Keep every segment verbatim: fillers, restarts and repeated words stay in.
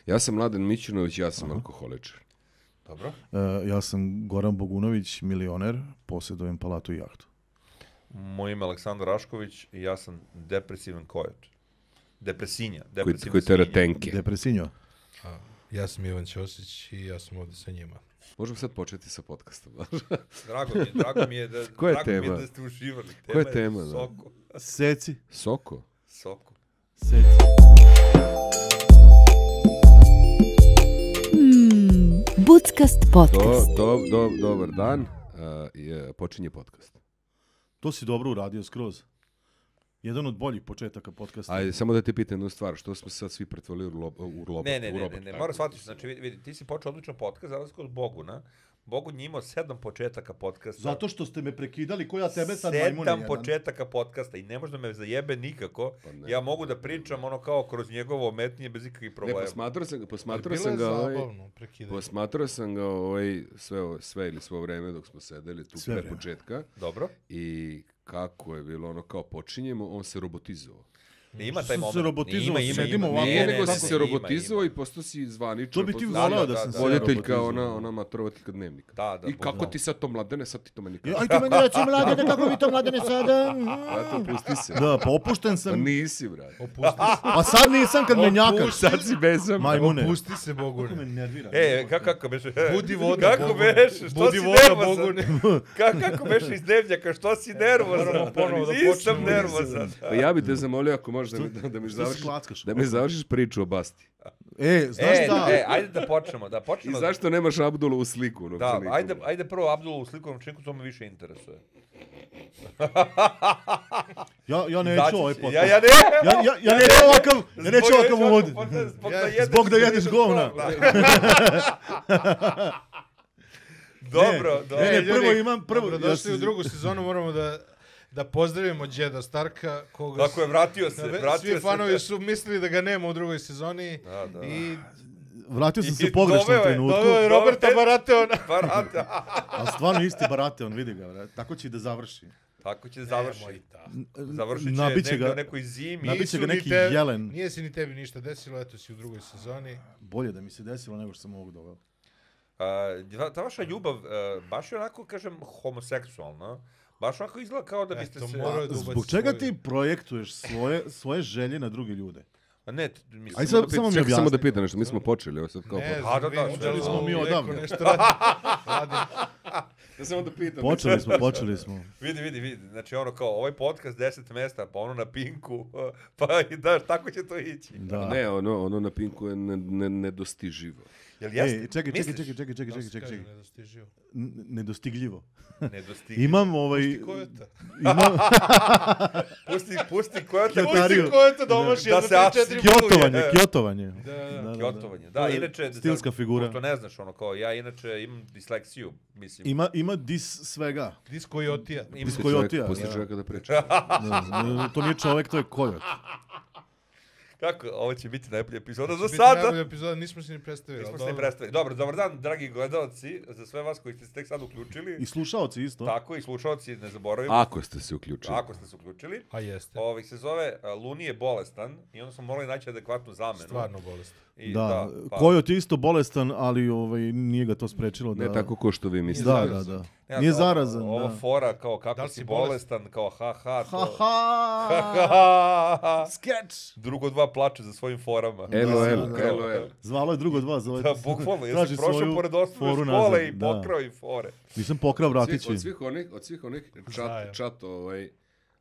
Ja sam Mladen Mićunović, ja sam Aha. alkoholičar. Dobro. Uh, ja sam Goran Bogunović, milioner, posjedujem palatu i jahtu. Moje ime je Aleksandar Rašković i ja sam depresivan kojot. Depresinja. Koji, koji tera tenke. Depresinjo. A, ja sam Ivan Ćosić i ja sam ovdje sa njima. Možemo sad početi sa podcastom. Drago mi je, drago mi je da, Koja drago je mi je tema? da ste uživali. Tema Koja je tema? Je Soko. Seci. Soko? Soko. Seci. Hmm, Buckast podcast. Do, do, do, dobar dan. Uh, je, počinje podcast. To si dobro uradio skroz. Jedan od boljih početaka podcasta. Ajde, samo da te pitam jednu stvar. Što smo sad svi pretvorili u, lob, u robot? Ne, ne, u ne, robot, ne, ne. Moram shvatiti, znači vidi, vidi, ti si počeo odličan podcast, za razliku od Boguna. Bogun je imao sedam početaka podcasta. Zato što ste me prekidali, ko ja tebe sad majmune Sedam jedan. početaka podcasta i ne može da me zajebe nikako. Pa ne. Ja mogu da pričam ono kao kroz njegovo ometnje bez ikakvih problema. Ne, posmatrao sam ga, posmatrao Bilo sam je ga, ovaj, zabavno prekidanje. posmatrao sam ga ovaj, sve, ovo- sve ili svo vreme dok smo sedeli tu Sve pre vreme. početka Dobro. i kako je bilo ono kao počinjemo, on se robotizovao. Ima Što taj se moment. robotizovao, Ima, ima, sedimo ima. ovako. Nije, ne, nego ne, si ne, se ima, robotizovao ima. i postao si zvaničan. To bi ti postao si volao da, da, da, sam da. se voditeljka, robotizovao. ona, ona matorovateljka dnevnika. Da, da. I kako da. ti sad to Mladene, sad ti to meni Ja, kažeš. aj ti meni reci, Mladene, kako vi to, Mladene, sada? Eto, pusti se. Da, pa opušten Pa sam. nisi, brate. Opusti se. Pa sad nisam kad me njakaš. Sad si bezam. Majmune. Opusti se, Kako me Bogune. nervira. E, kako, kako beše? Budi voda, Kako Bogune. beše? Što Budi si voda, nervozan? Bogune. Kako, kako beše iz dnevnjaka? Što si nervozan? Moramo ponovo da Nisam počnemo. nervozan. Pa ja bi te zamolio ako možeš da mi, da, da mi Što završiš, se klackaš? da mi završiš priču o Basti. E, znaš E, šta? e, ajde da počnemo, da I počnemo. zašto nemaš Abdulu u sliku? u Da, novčaniku? ajde, ajde prvo Abdulu u slikovnom činku, to me više interesuje. Ja, ja neću Izaći ovaj će. podcast. Ja, ja ne! Ja, ja, ja neću ovakav, ja neću Zbog- ovakav uvod. zbog- zbog Ja- da jedeš- zbog da jedeš govna. Dobro, dobro. Ne, ne, E, prvo ljudi, imam, prvo... Dobrodošli ja u se- drugu sezonu, moramo da da pozdravimo Đeda Starka, koga Tako je, vratio se, Sve- vratio svi se. fanovi su mislili da ga nema u drugoj sezoni. Da, da. I Vratio sam I se u pogrešnom doveo je, trenutku. doveo je Roberta Dobro. Barateona. Barata. A stvarno isti barate, on vidi ga, brate. Tako će i da završi. Tako će završiti. Nemoj ta. Završit će Nabiće negdje ga- u nekoj zimi. Nabiće Nisu ga ni neki te- jelen. Nije se ni tebi ništa desilo, eto si u drugoj sezoni. Bolje da mi se desilo nego što sam ovog doveo. A, ta- ta vaša ljubav, e, baš je onako, kažem, homoseksualna. Baš onako izgleda kao da biste Eto, se... morao je da ubaci Zbog čega svoju- ti projektuješ svoje, svoje želje na druge ljude? A ne, t- mislim... Aj Samo sad, da samo pita- mi čekaj, samo da objasni. pitam nešto, mi smo počeli, ovo sad kao... Ne A, da, znam, da, vidim počeli da smo ovo mi neko odavno. nešto radi. radi. Ja samo da pitam. Počeli smo, počeli smo. Vidi, vidi, vidi. Znači ono kao, ovaj podcast deset mesta, pa ono na Pinku, pa i da, tako će to ići. Da. Ne, ono, ono na Pinku je ne, ne, nedostiživo. Jel jeste? Ej, čekaj, čekaj, Misliš? čekaj, čekaj, čekaj, Da čekaj, se čekaj, kaže, čekaj. nedostiživo. N- Nedostigljivo. Nedostigljivo. Imam ovaj... Pusti kojota. Imam Pusti, pusti koja te... Kjotariju. Pusti kojota da omaši Da jedno se tri, as- četiri kjotovanje, E. kjotovanje. Da, da, da. Kjotovanje. To Da, je inače... stilska za- figura. Pošto ne znaš, ono kao, ja inače imam disleksiju, mislim. Ima, ima dis svega. Dis kojotija. Imam- Dis Pusti kojotija, čovjek- Pusti da. čovjeka da priča. Ne, to nije čovek, to je kojot. Kako, ovo će biti najbolja epizoda za Biti sada. najbolja epizoda, nismo se ni predstavili. Nismo ali se ni dobro. predstavili. Dobro, dobar dan, dragi gledalci, za sve vas koji ste se tek sad uključili. I slušaoci isto. Tako, i slušalci, ne zaboravimo. Ako ste se uključili. Ako ste se uključili. A jeste. Ovih se zove a, Luni je bolestan i onda smo morali naći adekvatnu zamenu. Stvarno bolest. I, Da, pa- kojot je isto bolestan, ali ovaj, nije ga to sprečilo da... Ne tako ko što vi mislite. Da, da, zarazan. da. Ne, Nije ovo- zarazan, Ovo da. fora kao kako Da li si si bolestan, kao ha ha. Ha To... ha! Sketch! Drugo dva plače za svojim forama. LOL, Da, da. LOL. Zvalo je drugo dva, zove. Da, bukvalno, ja Traži sam prošao svoju pored osnovne foru škole nazad, i da. pokrao i fore. Nisam pokrao Svih, vratići. od svih onih, od svih onih Znajo. čat, čat ovaj,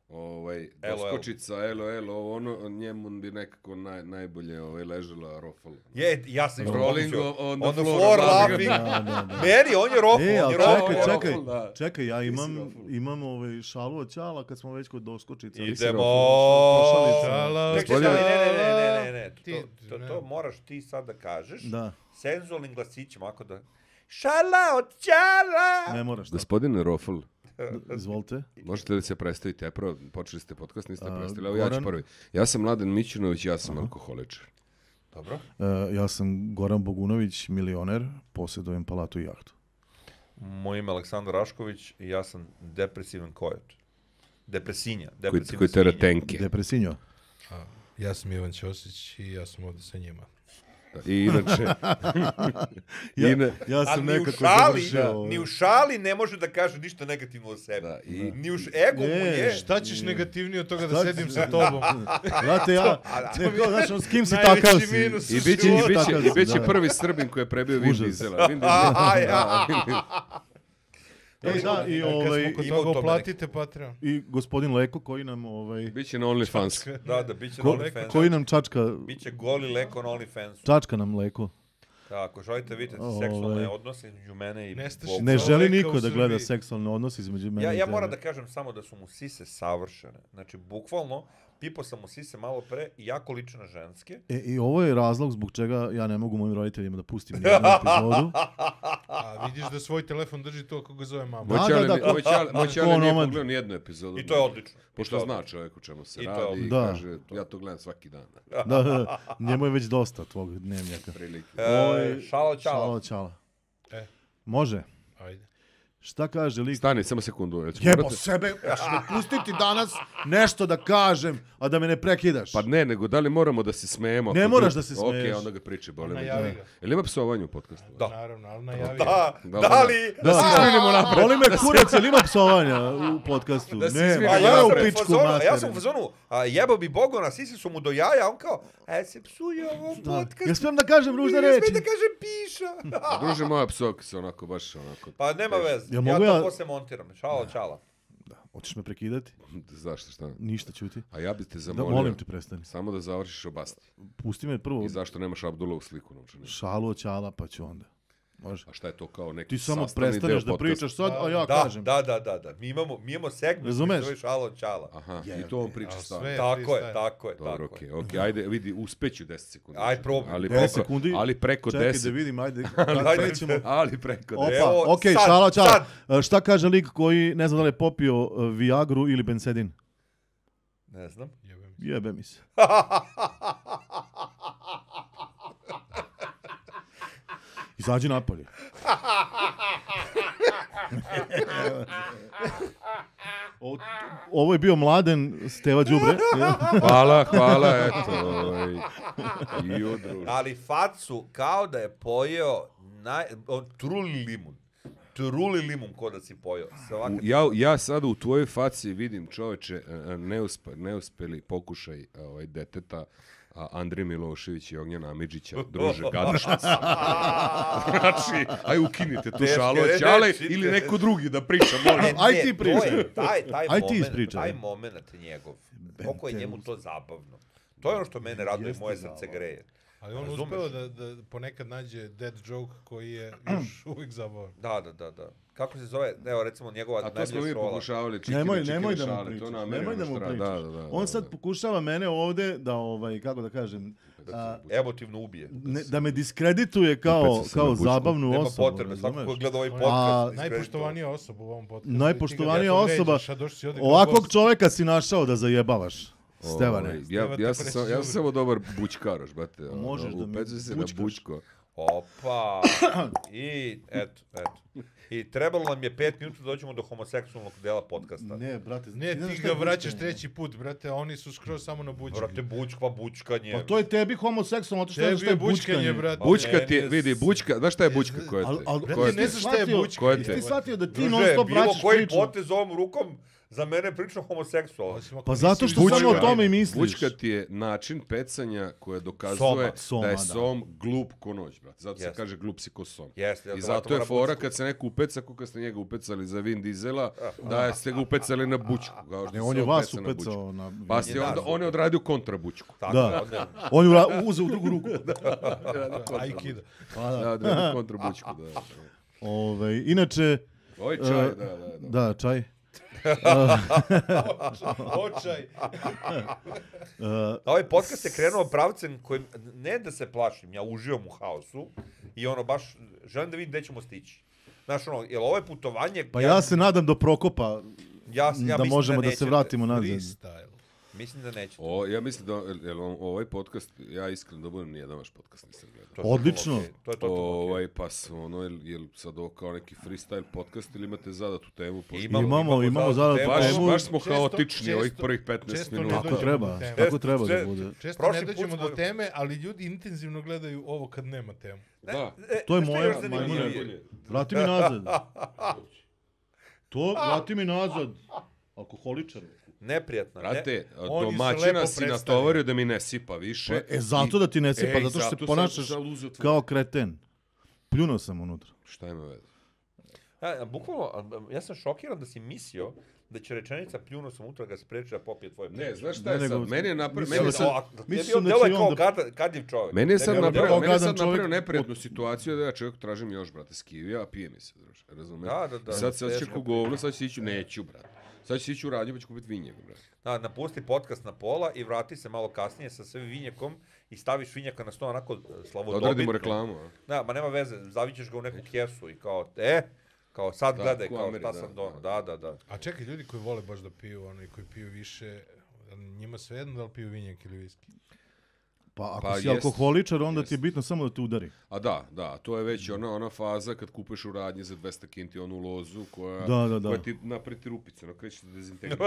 ovaj, LOL. doskočica, LOL, ovo ono, njemu bi nekako naj, najbolje ovaj, ležela rofal. Je, ja sam isto Rolling pomislio. on the On the floor, floor laughing. laughing. Da, da, da. Meni, on je rofl, E, on ali je rofl. čekaj, rofl, čekaj, da. čekaj, ja Ti si imam, rofl. imam ovaj šalu od Ćala kad smo već kod doskočica. Idemo. Šala, Čekaj, Gospodine- čekaj, ne, ne, ne, ne, ne, ne. Ti- To, to, ne. to moraš ti sad da kažeš. Da, Senzualnim glasićima, ako da... Šala od Ćala! ne moraš. Da. Gospodine Rofl, Izvolite. možete li se predstaviti? Prvo, počeli ste podcast, niste A, predstavili, evo ja ću Goran? prvi. Ja sam Mladen Mićunović, ja sam alkoholičar. Dobro. Uh, ja sam Goran Bogunović, milioner, posjedujem palatu i jahtu. Moje ime je Aleksandar Rašković i ja sam depresivan kojot. Depresinja. Koji, Depresivna koji tera svinja. tenke. Depresinjo. A, ja sam Ivan Ćosić i ja sam ovdje sa njima. I inače... Ja, ina- ja A sam ni u nekako šali, završio. ovo. ni u šali ne može da kaže ništa negativno o sebi. Da, i- Ni u š... ego mu Ne, je. Šta ćeš negativnije od toga da Šta sedim ćeš- sa tobom? Znate, ja, ne, kao, znaš, on, s kim si Najveći takao si? minus. I biće, i Život. biće, Takav i si, biće da. prvi Srbin koji je prebio Vin Užas. Diesela. Vin Diesel. A, ja. Da, Vin- E, da, i, Kad ovaj, smo kod Ima u toga tome uplatite Patreon. i gospodin Leko koji nam, ovaj, Biće na OnlyFans. Da, da, bit će ko, na OnlyFans. koji nam čačka, Biće goli leko na OnlyFansu. čačka nam Leko. Tako, želite vidjeti Ovaj. seksualne odnose između mene i Nestašica. Boga. Ne Kao želi Leka niko u da gleda Srbiji. seksualne odnose između mene Ja, i ja tebe. moram da kažem samo da su mu sise savršene. Znači, bukvalno, pipao sam mu sise malo pre i jako liče na ženske. E, i ovo je razlog zbog čega ja ne mogu mojim roditeljima da pustim nijednu epizodu. A vidiš da svoj telefon drži to ako ga zove mama. Da, Moj da, ćale da, ni- ko- moj ćale- moj ko ćale nije onomad. pogledao ni jednu epizodu. I to je odlično. Pošto I to je zna odlično. čovjek o čemu se I to je radi i odlično. Da. kaže, ja to gledam svaki dan. Da, da, njemu je već dosta tvog dnevnjaka. Prilike. E, šalo čalo. Šalo, čala. E. Može. Ajde. Šta kaže lik? Stani, samo sekundu. Ja ću Jebo morati- sebe, ja ću me pustiti danas nešto da kažem, a da me ne prekidaš. Pa ne, nego da li moramo da se smejemo? Ne ako moraš drugi- da se smeješ. Ok, onda ga priče, boli me. Najavi ga. Jel ima psovanje u podcastu? Da. Naravno, ali najavi. Da, Da, da, da. li... Da, se izvinimo napred. Boli me kurac, jel ima psovanja u podcastu? Da se Ne, izvinimo A ma ja ja sam u u pičku fazonu, ja sam u materinu. fazonu, a jebo bi Bogona, sisi su mu do jaja, a on kao, a se psuje ovo Da. podcast. Ja smijem da kažem ružne Ja reči. smijem da kažem piša. A druže, moja psovka se onako, baš onako... Pa nema veze, Jel ja mogu to ja- posle montiram. Šalo, čala. Hoćeš me prekidati? Zašto, šta? Ništa, ćuti. A ja bi te Da, zamolio... molim te, prestani. Samo da završiš obasti. Pusti me prvo I zašto nemaš Abdulovu sliku novčanu? šalu ćala, pa ću onda. Može. A šta je to kao neki Ti samo sastavni prestaneš deo da podcasta? pričaš sad, a ja Da, kažem. da, da, da, da. Mi imamo, mi imamo segment Razumeš? koji se zove šalo, čala. Aha, Je, i to on priča a stalno. sve- Tako je, freestyle. tako je, Dobro, tako okej, je. okej, ajde, vidi, uspeću deset sekundi. Aj, probaj. Ali deset preko, sekundi? ali preko Čekaj deset. da vidim, ajde. Ajde. Krećemo. Ali preko Opa, deset. Evo, okej, sad, šala, čala. sad. E, Šta kaže lik koji ne zna da li je popio e, Viagru ili Bensedin? Ne znam. Jebem. Jebe mi se. Izađi napolje. O- Ovo je bio Mladen Steva Đubre. Hvala, hvala, eto. Ovaj. I odruž. Ali facu kao da je pojeo naj... o, truli limun. Truli limun ko da si pojeo. Svaka... U- Ja, ja sada u tvojoj faci vidim, čoveče, e, neuspe, neuspeli pokušaj ovaj, deteta a, Andrije Milošević i Ognjena Amidžića, druže, gadaš nas. Znači, aj ukinite tu Teške šalu, reči, ćale te- ili neko drugi da priča, molim. Ne, Aj ne, ti to pričaj. je Taj, taj, Aj ti moment, ispričaj. taj moment njegov. Koliko je njemu to zabavno. To je ono što mene raduje, Jeste moje srce zabavno. greje. Ali on Razumeš? uspeo da, da ponekad nađe dead joke koji je još uvijek zabavan. Da, da, da, da. Kako se zove? Evo, recimo, njegova A to smo mi najbolja šola. pokušavali, čikine, Nemoj, čikine nemoj da mu šale, to pričaš. na Nemoj da Amerinu mu štra- pričaš. Da, da, da, On da, sad da. pokušava mene ovde da, ovaj, kako da kažem, a, Emotivno ubije. ne, da me diskredituje kao, Opet se kao na bučku. zabavnu Nema osobu. potrebe, svako razumeš? ko gleda ovaj On je podcast. Najpoštovanija osoba u ovom podcastu. Najpoštovanija Ti ga osoba. vređaš, a došli si ovdje kao Ovakvog gost. čoveka si našao da zajebavaš. Stevane. Ovaj, ja, Steva te ja, sam, samo- ja sam presudi. samo dobar bučkaroš, brate. ono, Možeš da mi upecuj se na bučkaš. bučko. Opa. I, eto, eto. I trebalo nam je pet minuta da dođemo do homoseksualnog dela podcasta. Ne, brate. Ne, znaš ti šta ga je vraćaš bučkanje? treći put, brate, a oni su skroz samo na bučki. Brate, bučka, bučkanje. Pa to je tebi homoseksualno, to što ne znaš Tebi šta je je bučkanje, bučkanje. brate. Bučka meni ti je, je vidi, s- bučka, znaš šta je bučka koja Al, te? al, Brate, koja ne te? znaš šta je shvatio- bučka. Koja te? Jesi ti shvatio da ti Druže, non stop bilo vraćaš koji priču? potez ovom rukom za mene je prilično homoseksualan. Osim ako Pa nisi zato što bučka. samo o tome i misliš. Bučka ti je način pecanja koje dokazuje Soma. Soma, da je da. som glup ko noć, brate. Zato se Jeste. kaže glup si ko som. Jeste, ja I to zato vratim je na fora bučku. kad se neko upeca, kako kad ste njega upecali za Vin Diesela, da ste ga upecali na bučku. Kao što Ne, se on je vas peca na bučku. upecao na... Pa si Je onda, nas on je odradio kontrabučku. Tako, Da. onda- On je ura- uzeo u drugu ruku. Aikido. Pa da. Da, odradio kontrabučku, da. da. Ovaj, inače, Oj, čaj, E, da, da, da. da, čaj. Očaj. Uh, Ovaj podcast je krenuo pravcem kojim, ne da se plašim, ja uživam u haosu i ono baš želim da vidim gde ćemo stići. Znaš ono, jel ovo je putovanje... pa ja se nadam do Prokopa ja, ja da mislim možemo da, se nećete. vratimo nazad. Freestyle. Mislim da neće. O, ja mislim da, jel, ovaj podcast, ja iskreno da budem nijedan vaš podcast nisam gledao. To je Odlično. totalno okej. To je totalno okej. Ovaj, pa s- ono, jel, jel sad ovo kao neki freestyle podcast ili imate zadatu temu? Pošto Imamo, Imamo, imamo zadatu temu. baš, temu. baš smo Često- haotični često- ovih prvih petnaest često ne minuta. Tako dođemo treba, do teme. tako treba da Često- bude. Često Prošli ne put dođemo smo- do teme, ali ljudi intenzivno gledaju ovo kad nema temu. Da. E, To je znaš šta moja još zanimljivije? majmuna. Vrati mi nazad. To, vrati mi nazad. Alkoholičar. Neprijatno. Ne? Brate, Oni se domaćina lepo si predstavljaju. natovario da mi ne sipa više. E, zato da ti ne sipa, Ej, zato što se zato ponašaš sam uzeo tvoj- kao kreten. Pljunuo sam unutra. Šta ima veze? A, a, bukvalno, a, a, ja sam šokiran da si mislio da će rečenica pljunuo sam unutra ga spreči da popije tvoje Ne, piće. znaš šta Ne, je nego- sad? Meni je napravio... Mislio Meni, sam- O, a, ti je mislio bio, da delo je će kao on da- gada, gadljiv čovjek. meni je sad Ne, ne, napravio, kao meni je gadan sad napravio čovjek- neprijatnu situaciju da ja čovjek tražim još, brate, skivija, a pije mi se, druže. Razumeš? Da, da, da. Sad se osjeća Teško. ko govno, sad ću ići, neću, brate. Sad ću ići u radnju pa ću kupiti vinjeg, brate. Da, napusti podcast na pola i vrati se malo kasnije sa sve vinjekom i staviš vinjaka na sto onako Da slavodobitno. odradimo reklamu, a? Da, ma nema veze, zavićeš ga u neku kesu i kao, e, kao sad Da, gledaj, ko kao Ameri, šta da, sam donao. da. Da, da, da. A čekaj, ljudi koji vole baš da piju, oni koji piju više, njima svejedno da li piju vinjak ili viski? Pa ako Pa si jest, alkoholičar, onda ti je jest. bitno samo da te udari. A da, da, to je već ona ona faza kad kupuješ u radnji za dvesta kinti onu lozu koja, Da, da, da. koja ti napreti rupice, ono kreće da dezintegriš.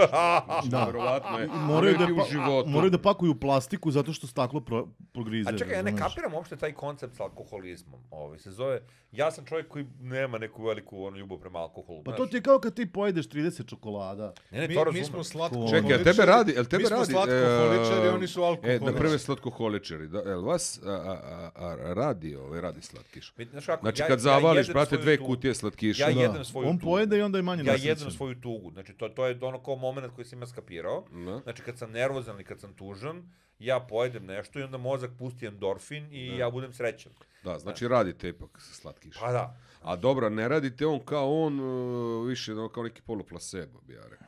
Znači, Da. verovatno je. Moraju da, ti u pa, životu. moraju da pakuju plastiku zato što staklo pro, progrize. A čekaj, ja ne razumeš? kapiram uopšte taj koncept sa alkoholizmom. Ovaj se zove, ja sam čovjek koji nema neku veliku onu ljubav prema alkoholu. Pa znaš. to ti je kao kad ti pojedeš trideset čokolada. Ne, ne, Mi, to mi razumem. smo slatko Čekaj, a tebe radi, jel tebe mi smo radi? slatkoholičari, e, oni su E, alkoholičari. na prve slatkoholičari, da, jel vas a, a, a, a, radi ovaj, radi slatkiš? Vidi, znaš kako, Znači ja- kad ja zavališ, jedem brate, svoju dve tugu. kutije slatkiša. Ja Da. jedem svoju On tugu. pojede i onda je manje Ja nasrećen. jedem svoju tugu. Znači, to, to je ono kao moment koji sam ja skapirao. Da. Znači, kad sam nervozan ili kad sam tužan, ja pojedem nešto i onda mozak pusti endorfin i ja budem srećan. Da, znači radite ipak slatkiš. Pa da. A dobro, ne radite on kao on, uh, više ono, kao neki poluplasebo, bi ja rekao.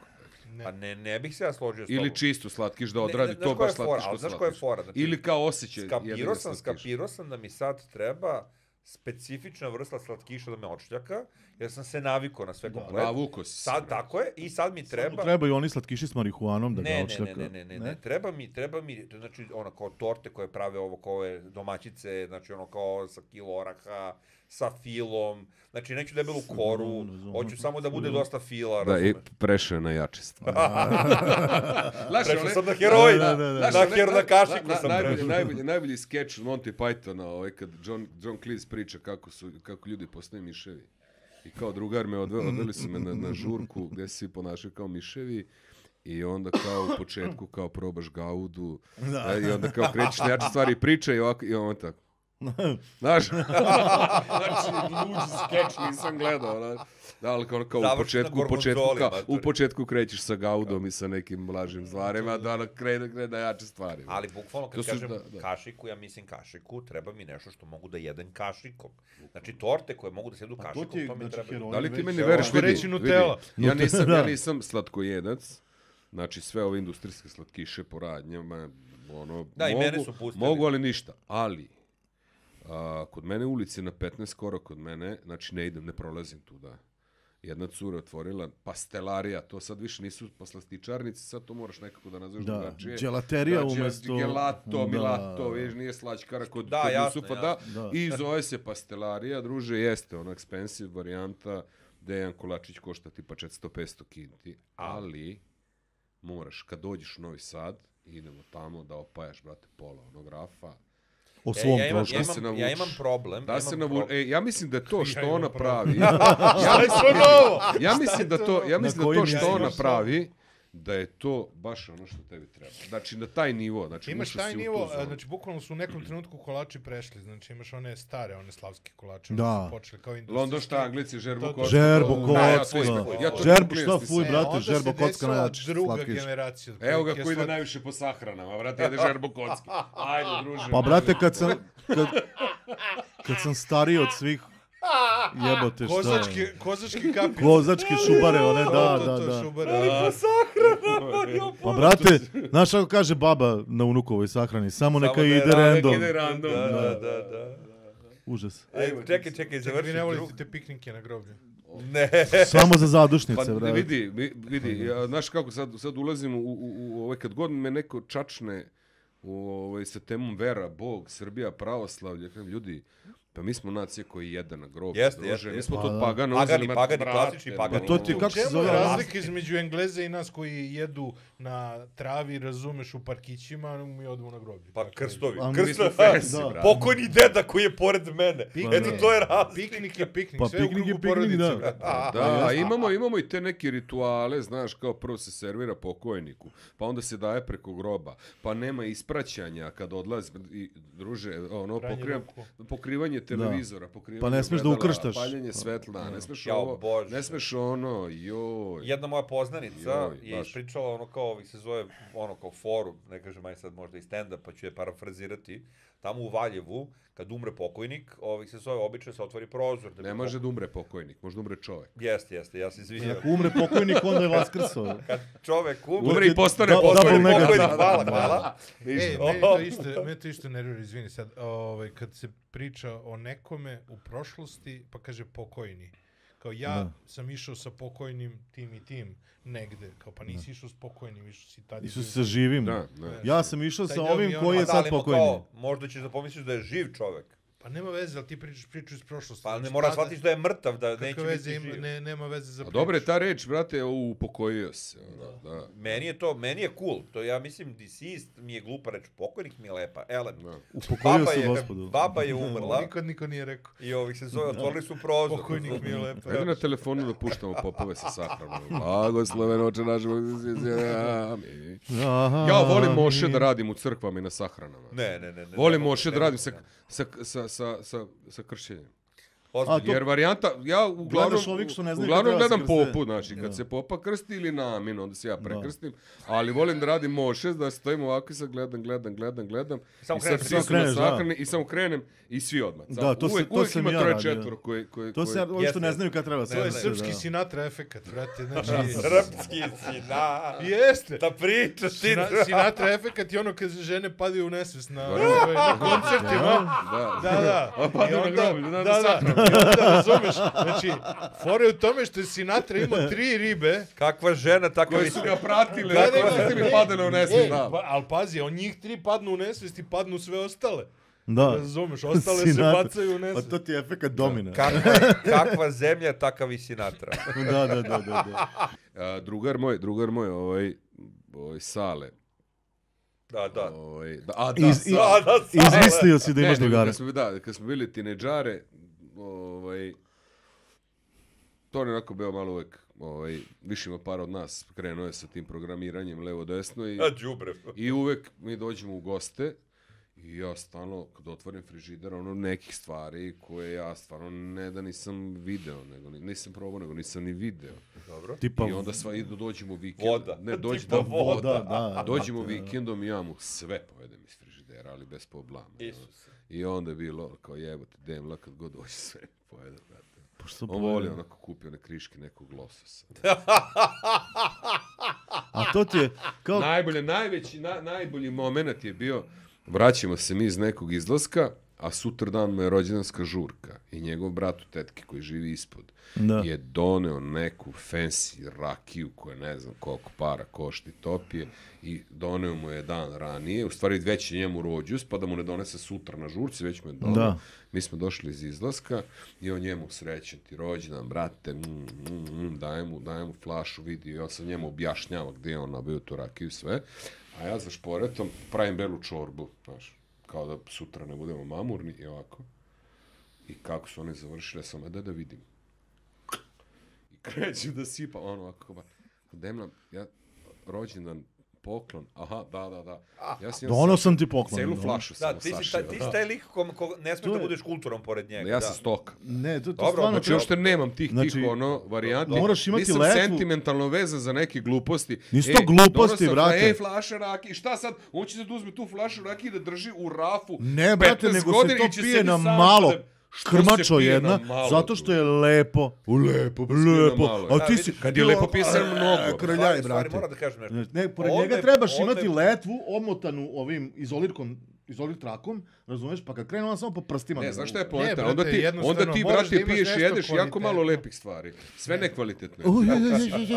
Pa ne, ne bih se ja složio s tobom. Ili čisto slatkiš da Ne, odradi ne, znaš to koja baš je fora, slatkiš ali ko znaš koja je slatkiš. fora? Znači, Ili kao osjećaj Skapirao jedino sam, slatkiš. skapirao sam da mi sad treba specifična vrsta slatkiša da me odšljaka, jer sam se navikao na sve komplet. Navuko si se, Sad, brate. tako je, i sad mi treba... Trebaju oni slatkiši s marihuanom da Ne, ga ne, odšljaka. ne, ne, ne, ne, ne, treba mi, treba mi, to znači ono kao torte koje prave ovo kao ove domaćice, znači ono kao sa kilo oraha, sa filom, znači neću debelu koru, razumem. hoću samo da bude dosta fila, Da, i razumeš? prešao je na jače stvari. Znaš, Prešao one- sam na heroj, Da, da, da, da. na, Znaš, her, ne- na kašiku na- sam najbolji, prešao. najbolji, najbolji skeč Monty Pythona, ovaj, kad John, John Cleese priča kako, su, kako ljudi postaju miševi. I kao drugar me odveo, odveli su me na, na žurku gdje se svi ponašaju kao miševi. I onda kao u početku kao probaš gaudu. Da. I onda kao krećeš na jače stvari i priča i ovako i on tako. Znaš? Znači, luđi skeč nisam gledao. Znaš? Da, ali kao, kao u Završi početku, na u početku, gorgonzoli, kao, u matori. početku krećeš sa gaudom i sa nekim lažnim stvarima, da ono krene, krene na jače stvari. Ali bukvalno To kad su- kažem da, da. kašiku, ja mislim kašiku, treba mi nešto što mogu da jedem kašikom. Znači torte koje mogu da se jedu Pa to kašikom, ti je, to mi znači, treba. heroj. Da li ti Već, meni evo, veriš, ako vidi, reći Nutella. vidi, ja nisam, Da. ja nisam slatkojedac, znači sve ove industrijske slatkiše po radnjama, ono, Da, i mogu, mene su pustili. mogu, ali ništa, ali, a, kod mene u ulici na petnaest skoro kod mene, znači ne idem, ne prolazim tu, da. Jedna cura otvorila pastelarija, to sad više nisu poslastičarnici, sad to moraš nekako da nazoveš Da, drugačije. đelaterija Znači, umesto- Gelato, Da. milato, viš, nije slaćkara kod, Da, kod jasno, Jusufa, jasno. da. Da. I zove se pastelarija, druže, jeste, ono, expensive varijanta, gde jedan kolačić košta tipa četiristo petsto kinti, ali moraš, kad dođeš u Novi Sad, idemo tamo da opajaš, brate, pola onog rafa, O Ja, svom ja, imam, trošku. ja, se imam, navučeš. ja imam problem. da imam se navu... problem. E, ja mislim da je to što imam ona problem. pravi, ja, mislim, ja mislim da to, ja Na mislim da koji to što način? ona pravi, da je to baš ono što tebi treba. Znači, na taj nivo, znači, Imaš ušao taj si u tu nivo, zonu. znači bukvalno su u nekom trenutku kolači prešli, znači imaš one stare, one slavske kolače, Da. oni su počeli kao industrijski. London štanglici, žerbo To- to- kocka. Žerbo to- kocka. Da, ja to isto- ja to Žerbo, ne šta kupujem, fuj, stisam. brate, onda žerbo se kocka desila najjači druga slatkiš. generacija. Evo ga otprilike koji ide slat- najviše po sahranama, brate, jede žerbo kocki. Ajde, druže. Pa brate, kad sam, kad, kad sam stariji od svih, jebote šta Kozački, je. kozački kapi. Kozačke šubare, one, To, da, to, da, to, da. šubare. Pa brate, znaš kako kaže baba na unukovoj sahrani, samo neka da je ide ra- random. ide random. Da, da, da, da. Užas. E, čekaj, čekaj, Čekaj, vi završi ne drug. volite te piknike na groblju. Ne. Samo za zadušnice, Pa ne, brate. vidi, vi- vidi, ja, znaš kako sad, sad ulazim u, u, u ovaj, kad god me neko čačne u, ovaj, sa temom vera, Bog, Srbija, pravoslavlje, kažem, ljudi, pa mi smo nacija koji jede na grob. Jeste, druže, jeste, Mi jeste. smo Pa to da. pagano. Pagani, uzeli, ma, pagani, brate, klasični pagani. Pa to ti U kako se čemu zove je razlika? razlika između Engleza i nas koji jedu na travi, razumeš, u parkićima, a mi odemo na groblje? Pa Tako je. krstovi. A mi Mi smo Krstovi. fancy, Da. brate. Pokojni deda koji je pored mene. Pa Eto, da. to je razlika. Piknik je piknik, Pa sve u piknik je krugu piknik, porodice. da. brate. Da, a imamo, imamo i te neke rituale, znaš, kao prvo se servira pokojniku, pa onda se daje preko groba, pa nema ispraćanja kad odlazi, i, druže, ono, Pranje pokrivam, ruku. pokrivanje televizora, pokrivanje Pa ne smeš da ogledala, ukrštaš. paljenje svetla, ne smeš Jao, ovo, Bože. ne smeš ono, joj. Jedna moja poznanica Joj, je baš. ispričala ono kao, ovih se zove, ono kao forum, ne kažem aj sad možda i stand-up, pa ću je parafrazirati, tamo u Valjevu, kad umre pokojnik, ovih se zove, obično se otvori prozor. Da bi Ne može da umre pokojnik, može da umre čovek. Jeste, jeste, ja se izvinjam. Ako umre pokojnik, onda je vaskrso. Kad čovek umre, Umre i postane Da- pokojnik. double pokojnik, negative. hvala, hvala. E, meni to isto, meni to isto nervira, izvini sad, ovaj, kad se priča o nekome u prošlosti, pa kaže pokojni. Kao ja Da. sam išao sa pokojnim tim i tim negde. Kao pa nisi išao s pokojnim, išao si tad. Isu sa živim. Da, da. Ja sam išao Taj sa deo ovim mi je koji ono- je A da, sad ali mo pokojni. kao, možda ćeš da pomisliš da je živ čovek. Pa nema veze, ali ti pričaš priču iz prošlosti. Pa ne Znači, mora tada- shvatiš da je mrtav, da neće Kakve biti veze ima, živ. ne, nema veze za A priču. dobro je ta reč, brate, ovo upokojio se. Ono, da. Meni je to, meni je cool. To ja mislim, deceased mi je glupa reč, pokojnik mi je lepa. Elem, Da. Upokojio baba se je, gospodu. baba je umrla Nikad niko nije rekao. i ovih se zove, otvorili su prozor. Pokojnik mi je lepa. Ajde na telefonu da puštamo popove sa sahranom. Blagosloven oče naš, amin. Aha, Ja volim Moše mi- da radim u crkvama i na sahranama. Ne, ne, ne. ne Volim ne, Moše ne, da radim ne, sa, ne. sa, sa, sa, sa, sa kršćenjem. Ozbiljno. A, to- Jer varijanta, ja uglavnom, Gledaš ovih što ne znaju uglavnom kad treba gledam se krste. popu, znači, kad Da. se popa krsti ili na amin, onda se ja prekrstim, ali volim da radim Moše, da stojim ovako i sad gledam, gledam, gledam, gledam, Samo i kreneš, sad samo svi su na kreneš, da. sahrani i samo krenem i svi odmah. Da, Samo- to se- uvek, to uvek sam ima ja troje radio. četvoro koji, koji, To se, koji- ovi što ne Jeste. znaju kad treba To To se je ne, krste, srpski da. Sinatra efekat, brate. Znači, Srpski sina. jeste. Da pričaš ti. Sina, Sinatra efekat je ono kad žene padaju u nesvest na, Dobro. ovaj, na koncertima. Da, Da, da. A padaju I na onda- groblje, da, da, na da. sahranu. I onda razumeš. Znači, fora je u tome što je Sinatra imao tri ribe. Kakva žena, takav Koji i su ga pratile, Da, koji da, su mi da. padale u nesvest, E, da. pa, ali pazi, on njih tri padnu u nesvest i padnu sve ostale. Da. Razumeš, ostale se Sinatra. bacaju u Pa nesvest. to ti je efekat domina. Kakva, kakva zemlja, takav i Sinatra. Da, da, da, da. da. A, drugar moj, drugar moj, ovaj, ovaj Sale. Da, da. Ovaj, da, a da, Iz- i- Sale. Da, da, Sale. Izmislio si da imaš Ne, nego drugara. Kad smo, da, kad smo bili tinejdžare, ovaj, to je onako bio malo uvek, ovaj, više ima par od nas, krenuo je sa tim programiranjem levo-desno i, A, đubre. i uvek mi dođemo u goste i ja stvarno, kad otvorim frižider, ono nekih stvari koje ja stvarno ne da nisam video, nego ni- nisam probao, nego nisam ni video. Dobro. Tipa I onda sva idu, dođemo vikend. Voda. Ne, dođe Tipa da voda. voda. Da, Dođemo brate, da. vikendom i ja mu sve povedem iz frižidera, ali bez problema. Isuse. I onda je bilo kao jebote, demla kad god dođe sve pojede, brate. Pošto On voli onako kupio one kriške nekog lososa. A to ti je kao... Najbolje, najveći, na, najbolji moment je bio, vraćamo se mi iz nekog izlaska, a sutra dan mu je rođendanska žurka i njegov brat u tetki koji živi ispod Da. je doneo neku fancy rakiju koja ne znam koliko para košti topije i doneo mu je dan ranije, u stvari već je njemu rođus, pa da mu ne donese sutra na žurci, već mu je doneo. Da. Mi smo došli iz izlaska i on njemu srećen ti rođendan, brate, mm, mm, mm, daje mu, daje mu flašu, vidi, ja sam njemu objašnjava gdje je on nabio tu rakiju i sve, a ja za šporetom pravim belu čorbu, znaš, kao da sutra ne budemo mamurni i ovako. I kako su oni završili, ja sam, da da vidim. I krećem da sipa, ono ovako, ba, demlam, ja, rođendan, poklon, aha, da, da, da. Ja sam, Donao sam ti poklon. celu da. flašu Da, samo ti si, sašio, taj, ti si da. taj lik ko, ko ne smiješ To da je- budeš kulturan pored njega. Ja da. sam stoka. Ne, to, to Dobro, stvarno... Znači, treba- uopšte nemam tih, Znači, tih ono, varijanti. moraš imati Nisam letvu- sentimentalno vezan za neke gluposti. Nisu to gluposti, donosam, brate. Ej, flaša raki, šta sad? On će da uzme tu flašu raki i da drži u rafu Ne, brate, petnaest nego se godina to i će pije sebi na sam malo. da- Što se Krmačo pije jedna, na malo, zato što tu? je lepo. Lepo, pa se pije na Lepo. malo. A Da, ti vidi, si... kad je lepo pije se mnogo. Krljaj, Stvari, stvari, brate. moram da kažem nešto. Ne, pored Ovde- njega trebaš ovde- imati letvu omotanu ovim izolirkom izolirati trakom, razumeš, pa kad krenu on samo po prstima. Ne, da- znaš šta je Ne, poenta? brate, Onda ti, jednostavno onda ti moraš brate, da imaš piješ, nešto jedeš jako malo kvalitetno. lepih stvari. Sve nekvalitetno. Uj, je, je,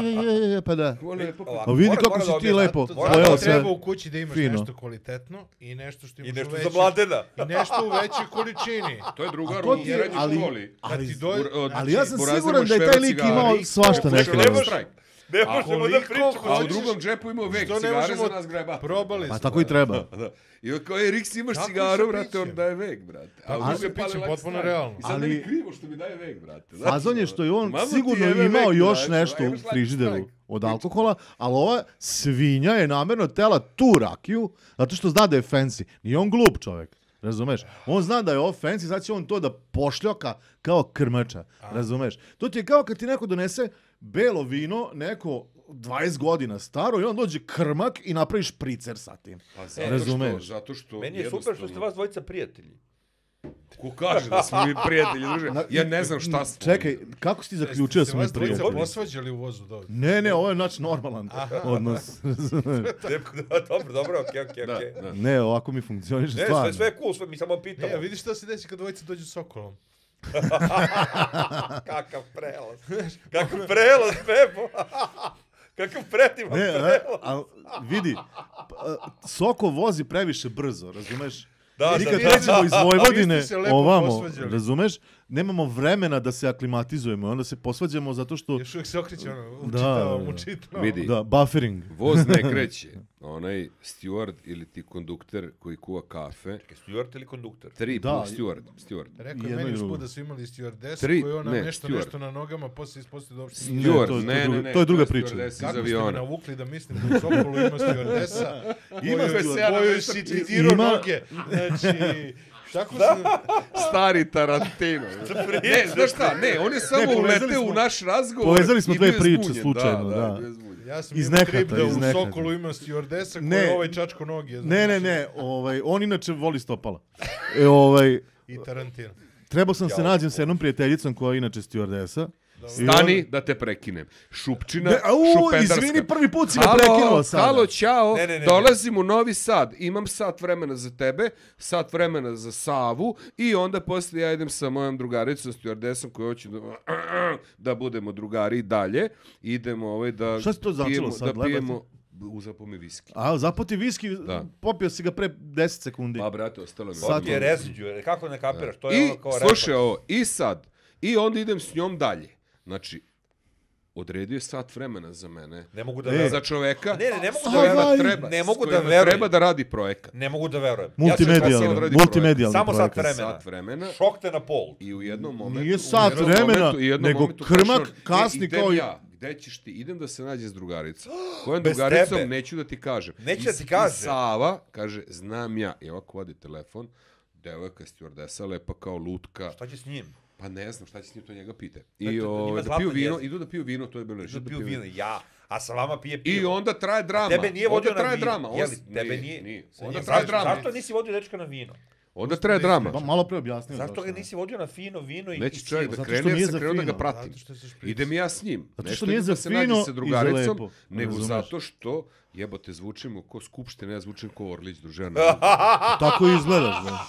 je, je, je, je, pa da. Ovo lepo. Ovako, A vidi mora- kako mora si da ti objasnim. lepo To- pojeo Moramo sve. treba u kući da imaš fino. nešto kvalitetno i nešto što I imaš nešto u za većoj... mladena. I nešto u većoj količini. To je drugar to u ti je- srednjoj ali- školi. ali- Kad ti dođe... Bur- od- Ali ja sam Burazirov siguran da je taj šverc lik cigara imao i svašta pokušao neke da vrste. štrajk. Ne možemo da koliko pričamo. A u hoćeš- drugom džepu imao vek Što ne cigare možemo- za nas greba. Probali Pa smo. tako i treba. Da. I on kao, je, Riks, imaš Kako cigaru, se brate, piće? on daje vek, brate. A Kako u drugi se je pali piće, like potpuno strike. realno. I sad Ali- meni krivo što mi daje vek, brate. Znaš, Fazon je što je on mamo ti sigurno jebe imao vek, još brate, nešto imaš u like frižideru strike. od alkohola, ali ova svinja je namjerno tela tu rakiju, zato što zna da je fancy. Nije on glup čovjek, razumeš? On zna da je ovo fancy, sad će on to da pošljoka kao krmača, razumeš? To ti je kao kad ti neko donese belo vino, neko dvadeset godina staro i on dođe krmak i napraviš špricer sa tim. Pa zato Razumeš. što, zato što Meni je super što ste vas dvojica prijatelji. Ko kaže da smo mi prijatelji, druže? Ja ne znam šta smo. Čekaj, kako si ti zaključio da Ste smo mi vas dvojica prijatelji? posvađali u vozu dobro. Ne, ne, ovo je naš normalan odnos. Dobro, dobro, okej, okej, Da, okej. da. Ne, ovako mi funkcioniše Ne, sve, stvarno. sve je cool, sve, mi samo pitamo. Ne, a vidiš šta se desi kad dvojica dođu s Sokolom? Kakav prelaz. Kakav prelaz, Pepo. Kakav predivan Ne, a, prelaz. a, vidi, p- Soko vozi previše brzo, razumeš? Da, Mi da, kad da, pređemo da. iz Vojvodine Vi ste se lepo ovamo, posvađali. razumeš, nemamo vremena da se aklimatizujemo, onda se posvađamo zato što, Još uvijek se okreće ono, Da, učitavam, da. učitavam. Vidi. da, buffering. Voz ne kreće. Onaj steward ili ti kondukter koji kuva kafe. Steward ili konduktor? Tri Da, plus steward. steward. Rekao je Jedno meni i usput drugo. da su imali stewardesa Tri- koji ona ne, nešto, steward. nešto na nogama, poslije ispostavio da uopšte nije. Steward, Steward, to je ne, druga- ne, ne. to je druga je priča. stewardess iz Kako ste me aviona. navukli da mislim da u Sokolu ima stewardesa Ima koju, steward- koju si citirao Ima- noge. Znači, tako sam... Stari Tarantino. Ne, znaš šta, ne, on je samo Ne, povezali uleteo smo- u naš razgovor. povezali smo i dve bio je priče zbunjen. slučajno, da. bio je zbunjen. Ja sam Iz imao nehata, trip da iz u nehata. Sokolu ima stewardesa koji Ne. je ovaj čačko noge. znaš. Ne, ne, ne, ovaj, on inače voli stopala. E, ovaj, I Tarantino. trebao sam se nađem sa jednom prijateljicom koja je inače stewardesa. I on- Stani da te prekinem. Šupčina, Ne, au, šupendarska. izvini, prvi put si me Halo, prekinuo sada. Halo, čao, Ne, ne, ne, ne. dolazim u Novi Sad, imam sat vremena za tebe, sat vremena za Savu i onda poslije ja idem sa mojom drugaricom, stewardessom koju hoću da, da budemo drugari i dalje. Idemo ovaj da Šta si to značilo pijemo, sad, da pijemo, uzapo mi viski. A, zapoti viski, Da. popio si ga pre deset sekundi. Pa brate, ostalo mi. Sad- Sad je residue, kako ne kapiraš? To je I ono kao slušaj repa. ovo, i sad, i onda idem s njom dalje. Znači, odredio je sat vremena za mene. Ne mogu da E, verujem. Za čoveka Ne, ne, ne mogu da Ovaj, verujem. treba, Ne s mogu da kojima verujem. treba da radi projekat. Ne mogu da verujem. Multimedijalni, sad odradi multimedijalni Samo sat projekat. vremena. Sat vremena. Šok te na pol. I u jednom momentu... Nije u sat jednom vremena, momentu- i jednom nego momentu krmak kaže on, kasni "E, idem kao i-" ja. Gde ćeš ti? Idem da se nađem s drugaricom. Kojom Bez drugaricom tebe. neću da ti kažem. Neću I da s- ti i kažem. Sava kaže, znam ja. I ovako vadi telefon. Devojka stewardesa, lepa kao lutka. Šta će s njim? Pa ne znam šta će s njim, to njega pite. Eto, I njima o, da zlatan piju vino, jezik. idu da piju vino, to je bilo nešto. Da piju vino. Ja. A sa vama pije pivo. I onda traje drama. Tebe nije onda vodio na traje vino. drama. On Jeli, s- tebe nije. nije. Sa Onda njim. traje Zašto- drama. Zašto nisi vodio dečka na vino? Onda traje drama. Pa malo pre objasnio. Zašto zašto. ga nisi vodio na fino vino i Neće i čovjek sivo? da Zato krene, što jer nije sam za krenuo da ga fino. pratim. Zato što se šprica. Idem ja s njim. Zato Ne što idem nije da za se fino nađem i sa za drugaricom, lepo, nego razumeš? zato što jebote zvučimo ko skupština, ja zvučim ko Orlić družena. Tako i izgledaš, da.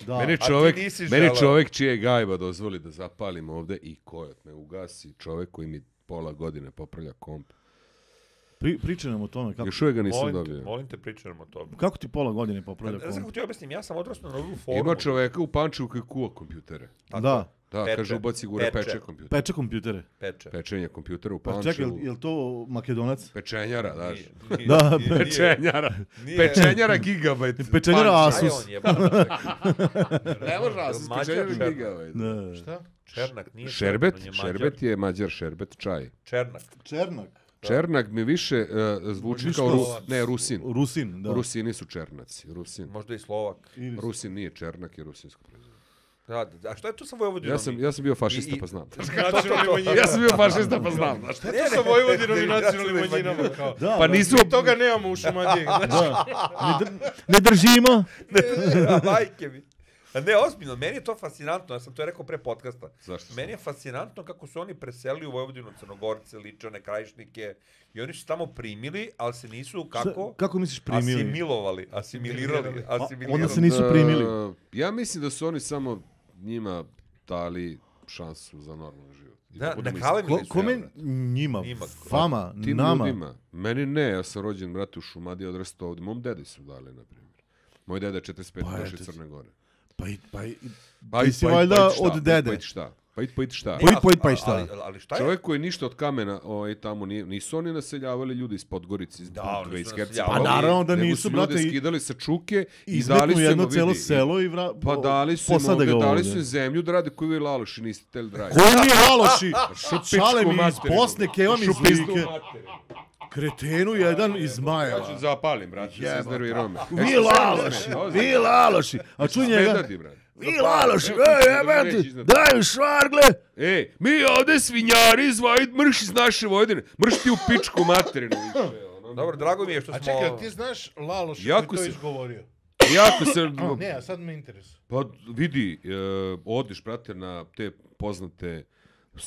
Da. Meni A ti čovjek, nisi meni želeo. čovjek čije gajba dozvoli da zapalim ovde i kojot me ugasi, čovjek koji mi pola godine popravlja komp. Pri, pričaj nam o tome. Kako, Još uvijek ga nisam Molim te, dobio. molim te, pričamo o tome. kako ti pola godine popravlja Ne znam kako komp? ti objasnim, ja sam odrastao na ovu formu. Ima čoveka u Pančevu koji kuva kompjutere. Da, Da, Peče. kaže ubaci gore Peče. peče kompjuter. peče kompjutere. Peče. Pečenje kompjutera u Pa Pančevu. čekaj, jel, jel to Makedonac? Pečenjara, daš. Nije, nije, Da, nije, nije. Pečenjara. Nije. Pečenjara gigabajt. Pečenjara Pančevo. Aj, Asus. on je, brate. Ne može Asus, Mađar pečenjara Šernak. gigabajt. Da. Šta? Černak, nije Šerbet, Černak, on je Mađar. šerbet je mađar, šerbet čaj. Černak. Černak. Černak mi više uh, zvuči Više kao Ru, Slovac. ne, Rusin. Rusin, da. Rusini su Černaci. Rusin. Možda i Slovak. Ili- Rusin nije Černak, je rusinsko prezime. Da, da, a šta je to sa Vojvodinom? Ja sam, ja sam bio fašista, I- i- pa znam. Nacionalni manjina. Ja sam bio fašista, pa znam. Znaš. Šta je to sa Vojvodinom i nacionalnim manjinama? Kao? Da, Pa da. nisu... Mi toga nemamo u Šumadiji. Znaš? Da. Ne, dr- ne držimo. A, majke mi. A ne, ozbiljno, meni je to fascinantno, ja sam to rekao pre podcasta. Zašto? Meni je fascinantno kako su oni preselili u Vojvodinu Crnogorce, Ličane, Krajišnike i oni su tamo primili, ali se nisu kako... Kako misliš primili? Asimilovali, asimilirali, asimilirali. onda se nisu primili. Da, ja mislim da su oni samo njima dali šansu za normalan život. I Da, budemo nakalemili Ko, su. kome ja, brate. njima, Njima. vama, Tim nama. ljudima. Meni ne, ja sam rođen, brate, u Šumadiji, odrastao ovdje. Mom dedi su dali, na primjer. Moj deda je četrdeset pete Pa došao eto. iz Crne Gore. Pa i, pa i, Pa ti i- si pa i- valjda pa i šta, od pa i- dede. Pa i šta? Pa i pa i šta? Pa i- a- pa i- pa i a- šta? Ali, ali šta je? Čovjek koji je ništa od kamena ovaj, tamo nije, nisu oni naseljavali ljudi iz Podgorice, iz Da, Bukve, oni iz su Hercegovine. naseljavali. Pa naravno da nego nisu, su brate, ljude i- skidali sa čuke i izmetnu dali su im, jedno vidi, celo i- selo i vra... Pa dali su im posade ovde, ga dali ovde. su im zemlju da rade koju vi laloši, niste hteli da radite. Koji mi aloši? Šupičku Šale mi iz materinu. Bosne, keva mi iz Šupizdu Like. materinu. Kretenu jedan iz Ja ću Zmajeva. zapalim, brate, se iznervirao me. Vi laloši, vi laloši. A čuj njega. Smeta brate. Vi laloši, Evo, ej, ti ću jebem da mi reći ti, iznad. daj švargle. Ej, mi ovde svinjari iz Vojvodine, mrš iz naše Vojvodine, mrš ti u pičku materinu više. ono. Dobro, drago mi je što A smo... čekaj, ti znaš Laloš Jako koji to se- izgovorio? Jako se... A, ne, a sad me interesuje. Pa vidi, e, odiš, brate, na te poznate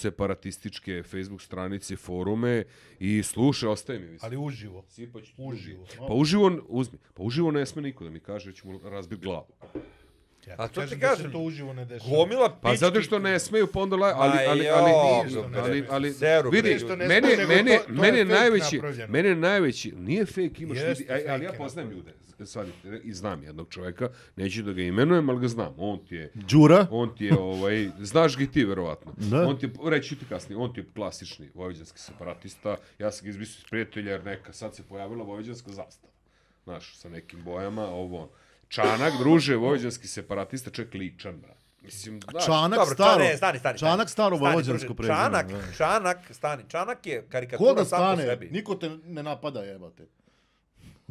separatističke Facebook stranice, forume i slušaj, ostaje mi. Ali uživo. Sipać Uživo. Pa uživo, uzmi, pa uživo ne sme niko da mi kaže da ću mu razbiti glavu. Ja A ti to ti kažem da se kažem. to uživo ne dešava. Gomila pički... Pa zato što ne smeju, pa onda la, ali, Ma ali, jo, ali, ništa ali, ne ali, smeju. ali, Seru, bre, vidi, ništa ne mene, smeju, nego mene, to- to je mene fake najveći, napravljeno. mene najveći, nije fake, imaš, Jeste, vidi, aj, ali ja fake je poznajem napravljeno. ljude, shvatite, i znam jednog čovjeka, neću da ga imenujem, ali ga znam, on ti je, Đura. on ti je, ovaj, znaš ga i ti, verovatno. Da. On ti je, reći ću ti kasnije, on ti je klasični vojvođanski separatista, ja sam ga izmislio iz prijatelja, jer neka, sad se pojavila vojvođanska zastava. Znaš, sa nekim bojama, ovo on. Čanak, druže, vojvođanski separatista, čovjek ličan, brat. Mislim, znaš, Čanak Dobro, staro. ne, stani, stani. Čanak staro Stani, vojvođansko druže, prezime. Čanak, da. Čanak, stani. Čanak je karikatura Ko da sam po stane? sebi. Niko te ne napada, jebate.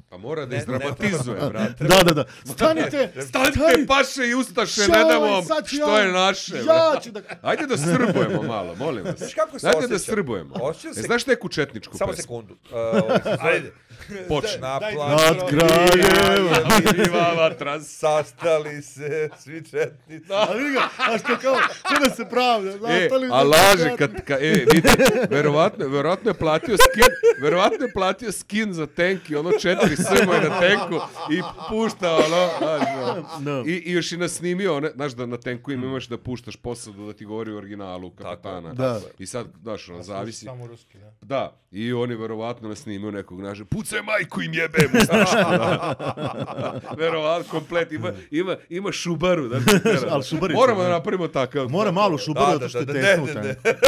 pa mora da Ne, izdramatizuje, ne, brate. Da, da, da. Stanite, Stanite, paše i ustaše, Šoj, ne damo vam sad ću što ja- je naše. Ja brate. ću da... Ajde da srbujemo malo, molim vas. Znaš kako se Ajde da osjećam? srbujemo. Osjećam E, se- znaš neku četničku Samo pesmu? sekundu. Uh, ovaj se zove- Ajde, počni. Na Daj- plažu Nad kraljevima. Živa vatra. sastali se svi četnici. A vidi ga, a što kao, ko da se pravda. E, Nastali a su laže sad- kad, ka, e, vidite, verovatno, verovatno je platio skin, verovatno je platio skin za tank i ono četiri srmoje na tenku i pušta ono, znaš, ono. Da. I, i još i nasnimio, one, znaš da na tenku im imaš da puštaš posadu da ti govori u originalu kapetana. Da. I sad, znaš, ono, zavisi. Samo ruski, da. Da, i oni verovatno nasnimio nekog naže, pucaj majku im jebem, znaš, da. Verovatno, komplet, ima, ima, ima šubaru, da ti tera. Ali šubarica, Moramo da da. napravimo takav. Mora malu šubaru, Da, zato što je da, da, tesno ne, u ne, ne. tenku.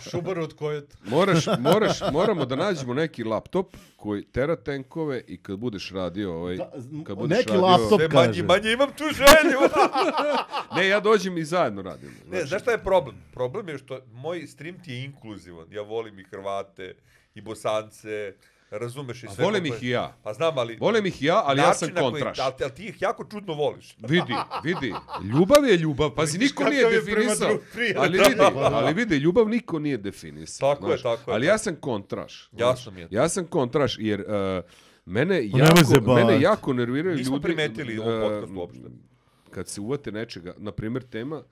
Šubar od kojet. Moraš, moraš, moramo da nađemo neki laptop koji tera tenkove i kad budeš radio ovaj, Da, kad budeš neki radio, laptop. Sve manje, kaže. manje imam tu želju. Ne, ja dođem i zajedno radimo. Ne, znaš šta je problem? Problem je što moj stream ti je inkluzivan. Ja volim i Hrvate, i Bosance, razumeš i A sve. volim kako ih je. i ja. Pa znam, ali... Volim ih i ja, ali ja način sam na koji- kontraš. Ali, ali ti ih jako čudno voliš. Vidi, vidi, ljubav je ljubav, pazi, Vidiš niko nije kakav je prema definisao, drugom prijatelju. ali vidi, ali vidi, ljubav niko nije definisao. Tako je, znaš. tako je, Ali tako. ja sam kontraš. Jasno znaš. mi je. Ja sam kontraš, jer uh, mene, nemoj jako, zajebavati. mene jako nerviraju Nismo ljudi... primetili u ovom uh, podcastu uopšte. Kad se uvate nečega, na primjer tema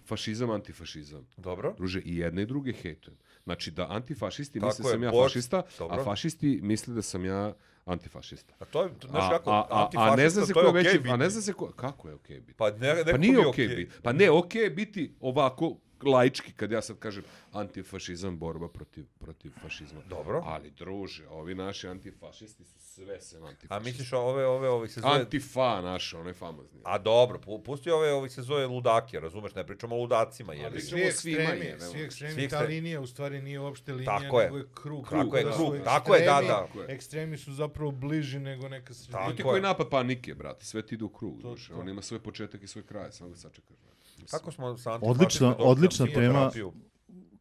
fašizam, antifašizam. Dobro. Druže, i jedne i druge hejtujem. Znači da antifašisti Tako misle da je, sam ja Boris, fašista, dobro. a fašisti misle da sam ja antifašista. A to je, to, znaš A, kako, a, a, a ne zna se to ko je je okej veći, biti. a ne zna se ko, kako je okej biti. Pa, ne, neko Pa mi nije je okej okej. biti. Pa ne, okej je biti ovako laički, kad ja sad kažem antifašizam, borba protiv, protiv fašizma. Dobro. Ali, druže, ovi naši antifašisti su sve sem antifašisti. A misliš ove, ove, ove se zove... Antifa naša, onaj famozni. A dobro, pu- pusti ove, ovi se zove ludake, razumeš, ne pričamo o ludacima, jebi. Ali Pričamo svi o svima, ekstremi, jebemo. svi ekstremi, Svi ta ekstremi. linija u stvari nije uopšte linija, Tako je. nego je krug. Tako je, Da krug. su Tako je, da, ekstremi- da. Ekstremi su zapravo bliži nego neka sredina. Tako To ti je. koji napad panike, brate, sve ti ide u krug. To- znaš, to. On ima svoj početak i svoj kraj, samo ga sačekaš. brate. Mislim, Kako smo sa Odlična- antifašizmom došli na odlična tema. psihoterapiju?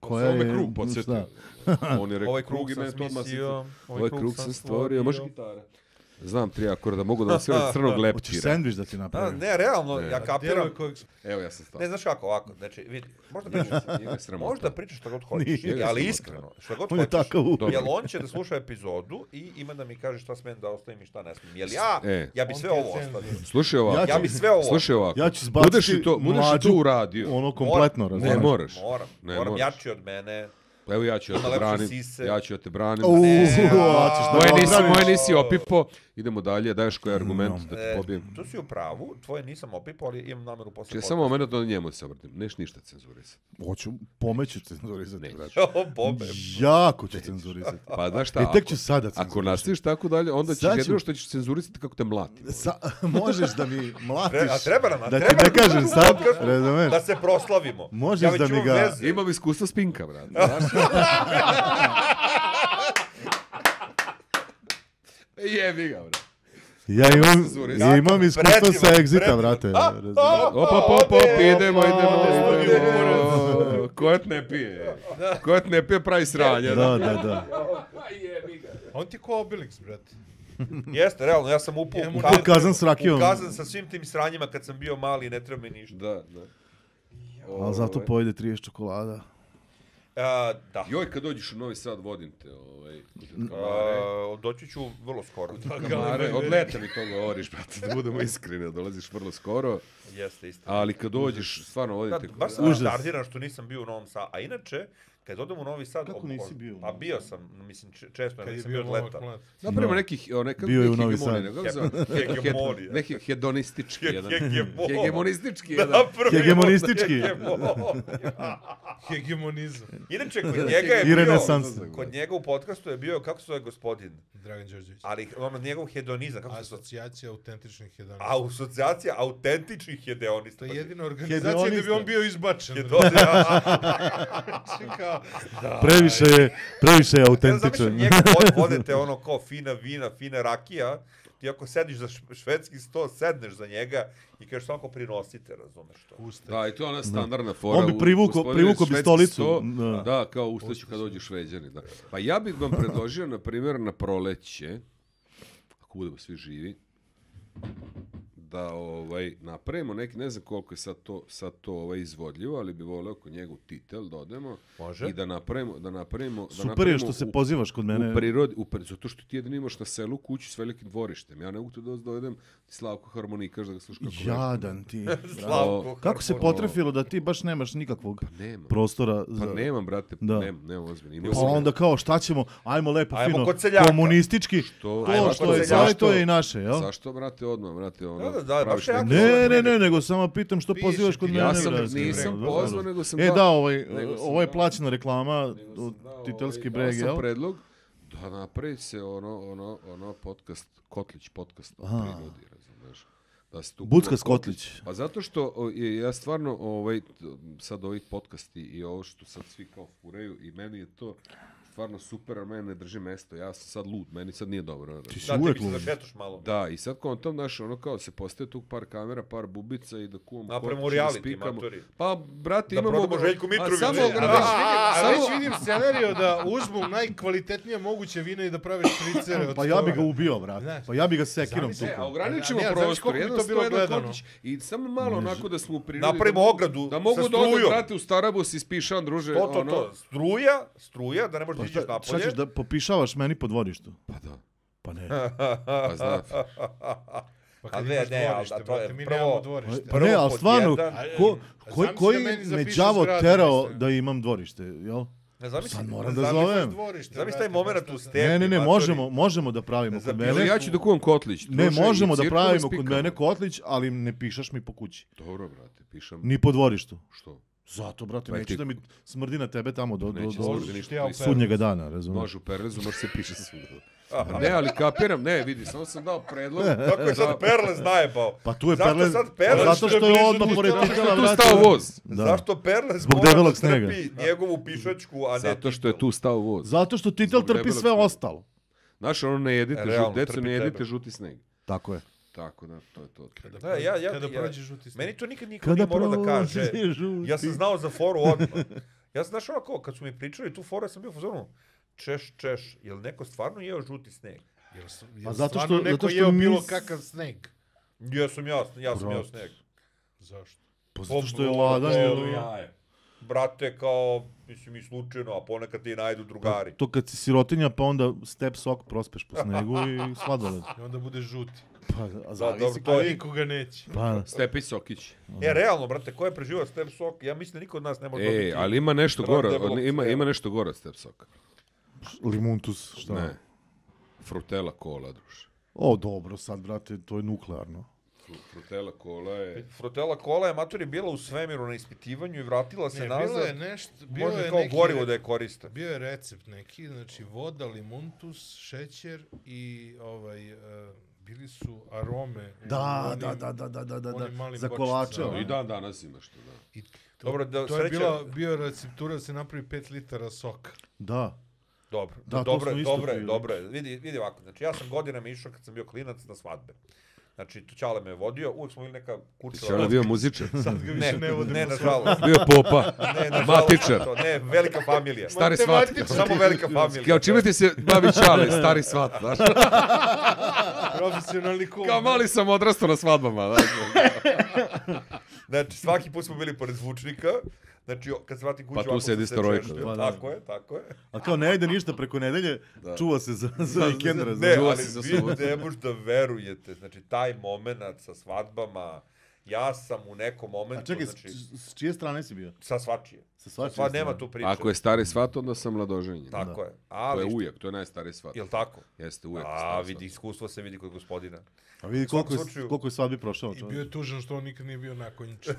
koja Samo me je... krug podsjetio. šta? On je rekao Ovaj krug krug i sam meni to odmah smislio, se... Ovaj krug sam stvorio. Može stvorio. gitara? Znam tri akorda, mogu da vam sve od crnog Hoćeš leptira. sendvič da ti A, napravim? ne, realno, Ne. ja kapiram. Djeluje kojeg... Evo ja sam stao. Ne, znaš kako, ovako, znači, vidi, možda pričaš, Nije me sramota. možda pričaš šta god hoćeš, Nije. ali iskreno, šta god On je hoćeš. takav uvijek. Dobro. Jel on će da sluša epizodu i ima da mi kaže šta smem da ostavim i šta ne smem. Jel ja, E. ja bi On sve ti je ovo cenzor. ostavio. Slušaj ovako. Ja Ja bi sve ovo Slušaj ovako. Ja ću izbaciti Budeš i to, budeš i mlađu, to uradio. ono kompletno, Moram. Ne razumiješ? moraš. Moram, Ne moram moraš. jači od mene. Pa evo ja ću da Ima te lepše branim. sise. Ja ću da te branim. Uuu, Ne. hoćeš da Moje ga nisi, obraniš? moje nisi opipo. Idemo dalje, daješ koji argument da te E, pobijem. tu si u pravu, tvoje nisam opipao, ali imam nameru posle Če samo moment da njemu se obratim. Neš ništa cenzurisati. Hoću, pomeću cenzurisati, Ne. brate. O, Bobe. Jako ću cenzurisati. Pa znaš šta, I tek ako- ću sada Ako cenzurisati. nastaviš tako dalje, onda ćeš Sad ću- jedino što ćeš cenzurisati kako te mlati. Sa, možeš da mi mlatiš, Tre- a treba nam, a da ti treba ne nam kažem u sad, podcastu razumeš? Da se proslavimo. Možeš ja već da mi imam ga- veze. Imam iskustvo spinka, brate. Znaš? Jebi ga, brate. Ja imam, Cenzuristi. ja imam iskustvo Predivan, sa Exita, predivan. brate. A, razumeš? a, Op, op, op, op, idemo, idemo, Opa, idemo. Ko te ne pije? Ko te ne pije pravi sranje. Da, da, da. On ti ko Obelix, brate. Jeste, realno, ja sam upao Imamo u U kazan s rakijom. u kazan sa svim tim sranjima kad sam bio mali i ne treba mi ništa. Da, da. Ali zato Ovaj. pojede trideset čokolada. A, da. Joj, kad dođeš u Novi Sad, vodim te, ovaj, kod kamare. A, doći ću vrlo skoro. Kamare, od leta mi to govoriš, brate, da budemo iskreni, dolaziš vrlo skoro, Jeste, istina. ali kad dođeš, stvarno Da, vodite... baš sam Užas. retardiran što nisam bio u Novom Sadu. A inače, kad odem u Novi Sad... Kako ob- nisi ob- bio u Pa Novom bio sam, mislim, če- često, Kad je nisam bio bio od Novak leta. Mlad. Napravimo No. neki, o, neka, Bio je u neki Novi hegemonija, Sad. kako se zove? Hegemonija. Neki hedonistički jedan. Hegemon. Hegemonistički jedan. Napravimo Hegemonistički. hegemonija. Hegemonizam. Inače, kod njega je I bio... renesansa. Kod njega u podcastu je bio, kako se zove gospodin? Dragan Đorđević. Ali ono, njegov hedonizam, kako se zove? Asocijacija autentičnih hedonista. Asocijacija autentičnih hedonista. To je jedina organizacija gdje bi on bio izbačen. Hedonista. Znači kao, Previše je, previše je Ja autentičan. zamišljam njega vod- vodite ono kao fina vina, fina rakija, ti ako sediš za š- švedski sto, sedneš za njega i kažeš samo kao prinosite, razumeš to. Usta. Da, i to je ona standardna fora. On bi u- privuko- gospodine privuko bi švedski stolicu. sto, Da. Da, kao ustaću kad dođu Šveđani. Da. Pa ja bih vam predložio, na primjer, na proleće, ako budemo svi živi, da ovaj, napravimo neki, ne znam koliko je sad to, sad to ovaj, izvodljivo, ali bi voleo kod njega u titel da odemo Može. i da napravimo, da napravimo, da Super je napravimo što se u- pozivaš kod mene. U prirodi, u pri- zato što ti jedino imaš na selu kuću s velikim dvorištem. Ja ne mogu tu da dovedem ti Slavko harmonikaš da ga slušaš kako vežba. Jadan ti. brate. Slavko, Kako se Harmonija. potrefilo da ti baš nemaš nikakvog Nema. prostora za... Pa nemam, brate, Da. nemam, nemam ozbiljno. Imao Pa sam- onda kao šta ćemo, ajmo lepo Ajmo fino, kod seljaka. komunistički, Što? Ajmo to kod što je seljaka. tvoje, to je i naše, jel? Zašto, brate, odmah, brate, ono... Da, da, da, praviš baš je jako neku- Ne, ne, ne, nego samo pitam što Piše pozivaš ti, kod ja mene. sam- brate, nisam da, pozvao, da. nego sam E dao- da, ovaj, nego sam ovo je dao- plaćena reklama Nego od sam dao, Titelski ovaj, breg, dao sam jel? predlog da napravi se ono, ono, ono podcast, Kotlić podcast o Aha. prirodi, razumeš? Da se tu Buckas kuva Kotlić. Pa zato što o, je- ja stvarno ovaj, t- sad ovi podcasti i ovo što sad svi kao furaju i meni je to stvarno super, a mene ne drži mesto. Ja sam sad lud, meni sad nije dobro. Ti si Da, ti uvek bi se lud. zašetaš malo. Da, i sad kontam, znaš, ono kao se postaje tu par kamera, par bubica i da kuvamo Napravimo Kotlić i da reality, spikamo. matori. Pa, brate, Da imamo... prodamo Željku a Mitrovića. Samo A, A ograničenje. već vidim, a Samo- već vidim scenariju da uzmu najkvalitetnije moguće vina i da prave špricere od Pa ja bi ga stoga. ubio, brate. Znaš, Pa ja bi ga sekirom zamisli, Ne, a tukao. ograničimo A ne, a znaš prostor, koliko bi jedno to sto, bilo jedan gledano? Kotlić i samo malo onako da smo u prirodi. Napravimo da mogu- ogradu Da mogu sa da odem, strujom. brate, u Starabus i spišan, druže. To, to, ono. to. Struja, struja, da ne možeš Pa da iđeš šta, šta napolje. ćeš da popišavaš meni po dvorištu? Pa da, Pa ne. pa znam. Pa A kad ne, imaš ne, ali dvorište, da, to je brate, mi prvo- nemamo dvorište. Pa Prvo ne, ali pod stvarno, jedan- ko, A koji, zamisli koji da meni me zapišeš đavo zgradu, terao mislim. da imam dvorište, jel? Ne, zamisli, Sad moram da zamisli- zovem. Dvorište, Zamisli brate, taj moment baš u to- stepi. Ne, ne, ne, matori. možemo, možemo da pravimo kod Zapiši- Ili mene. ja ću da kuvam Kotlić. Ne, druže, možemo i da cirkule pravimo kod spikamo. mene kotlić, ali ne pišaš mi po kući. Dobro, brate, pišem. Ni po dvorištu. Što? Zato, brate, Pa neću ti- da mi smrdi na tebe tamo do, do, Neće do smrdi ništa. ja u ti si- sudnjega dana, razumiješ? Može u Perlezu, može se piše svuda. Ne, ali kapiram, ne, vidi, samo sam dao predlog. Kako je sad Perlez najebao? Pa tu je Zašto Perlez, sad Perlez? zato što je odmah pored Zato što titela, je tu brate. stao voz. Da. Zašto Perlez Zbog mora debelog da snega. trpi njegovu pišačku, a ne Zato što je Titel? tu stao voz. Zato što titel Zbog trpi debelog sve snega. ostalo. Znaš, ono ne jedite, Realno, žut, deco trpi ne jedite tebe. žuti sneg. Tako je. Tako da, to je to. Da, ja, ja, Kada ja, prođe žuti sneg. Meni to nikad niko nije morao da kaže. prođe žuti. Ja sam znao za foru odmah. Ja sam, znaš, onako, kad su mi pričali tu foru, ja sam bio u fazonu, češ, češ, jel neko stvarno jeo žuti sneg? Jel, su- jel Pa zato stvarno što- neko zato što jeo bilo nis- kakav sneg? Ja sam ja, ja sam Bravo. jeo sneg. Zašto? Pa zato što je Pa, ladan. to- ili- jaje. Brate, kao, mislim, i slučajno, a ponekad ti najdu drugari. To kad si sirotinja, pa onda step sok prospeš po snegu i sladoled. I onda bude žuti. Pa, a Da, zavisi dobro, ko to A je- nikoga neće. Pa, Stepi Sokić. E, realno, brate, ko je preživao step sok, ja mislim da niko od nas ne može dobiti. E, ali ima nešto Brate, gore, debelog od- ima, crijeva. ima nešto gore od Step Soka. limuntus, šta? Ne. Frutela kola, druže. O, dobro, sad, brate, to je nuklearno. Fru- Frutela kola je... Frutela kola je matori bila u svemiru na ispitivanju i vratila se Ne, nazad. bilo je nešto, bilo Može je kao neki gorivo re- da je koriste. Bio je recept neki, znači voda, limuntus, šećer i ovaj, uh, bili su arome. u Da, onim- da, da, da, da, da, da, onim malim za bočicama. kolače. I dan danas ima što da. I to, Dobro, da, to je sreća- bila, bio receptura da se napravi pet litara soka. Da. Dobro, Da, to dobro, smo je, isto dobro je, pili. dobro je. Vidi, vidi ovako, znači ja sam godinama išao kad sam bio klinac na svadbe. Znači, tu Ćale me je vodio, uvijek smo bili neka kućeva. Čele bio muzičar. Sad ga više Ne, ne vodimo. ne, nažalost. Bio popa. Ne, nažalost. Matičar. To, ne, velika familija. Stari svat. Samo velika familija. Kao čime ti se bavi Čale, stari svat, znaš? Profesionalni kum. Kao mali sam odrastao na svadbama, znaš. Znači, svaki put smo bili pored zvučnika. Znači, o- kad se vratim kuću, Pa tu ovako sedi sam se Storojko, češljao. da. Pa da. Tako je, tako je. A kao ne ide ništa preko nedelje, čuva se za, za vikend, Ne, razumiješ? Čuva ali se za vi subotu. ne možete da verujete. Znači, taj moment sa svadbama, ja sam u nekom momentu, A čekaj, znači, s, s čije strane si bio? sa svačije. Sa svačije Sva nema strane. tu priče. Ako je stari svat, onda sam mladoženjen. Tako je. To Ali, je ujak, to je najstariji svat. jel tako? Jeste ujak. A, stari vidi, iskustvo se vidi kod gospodina. A vidi U svakom koliko je, slučaju- koliko je svadbi prošao. I čovječe. bio je tužan što on nikad nije bio nakonjičan.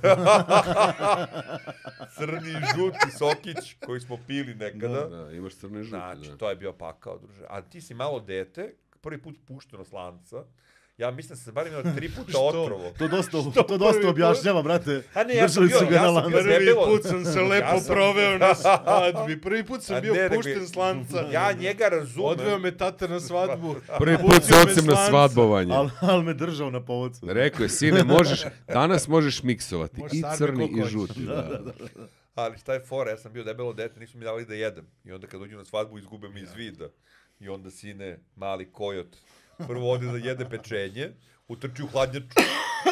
Crni i žuti sokić koji smo pili nekada. svat. Da, imaš crne žute. Znači, da. to je bio pakao, druže. A ti si malo dete, prvi put pušteno s lanca. Ja mislim da sam se bar imao tri puta otrovo. To dosta, to dosta objašnjava, brate. A ne, ja sam Držali bio- su ga ja na sam bio lancu. debel. Prvi debelo. put sam se lepo Ja sam- proveo na svadbi. Prvi put A sam bio ne, nego- pušten s lanca. Ja njega razumem. Odveo me tata na svadbu. Prvi put Pustio se me ocem s na lanca. svadbovanje. Al, al me držao na povodcu. Rekao je, sine, možeš, danas možeš miksovati Možeš i sarme crni koliko i hoćeš. žuti. Da, da. Ali šta je fora, ja sam bio debelo dete, nisu mi dali da jedem. I onda kad dođu na svadbu, izgube mi iz vida. I onda sine, mali kojot, prvo ode da jede pečenje, utrči u hladnjaču.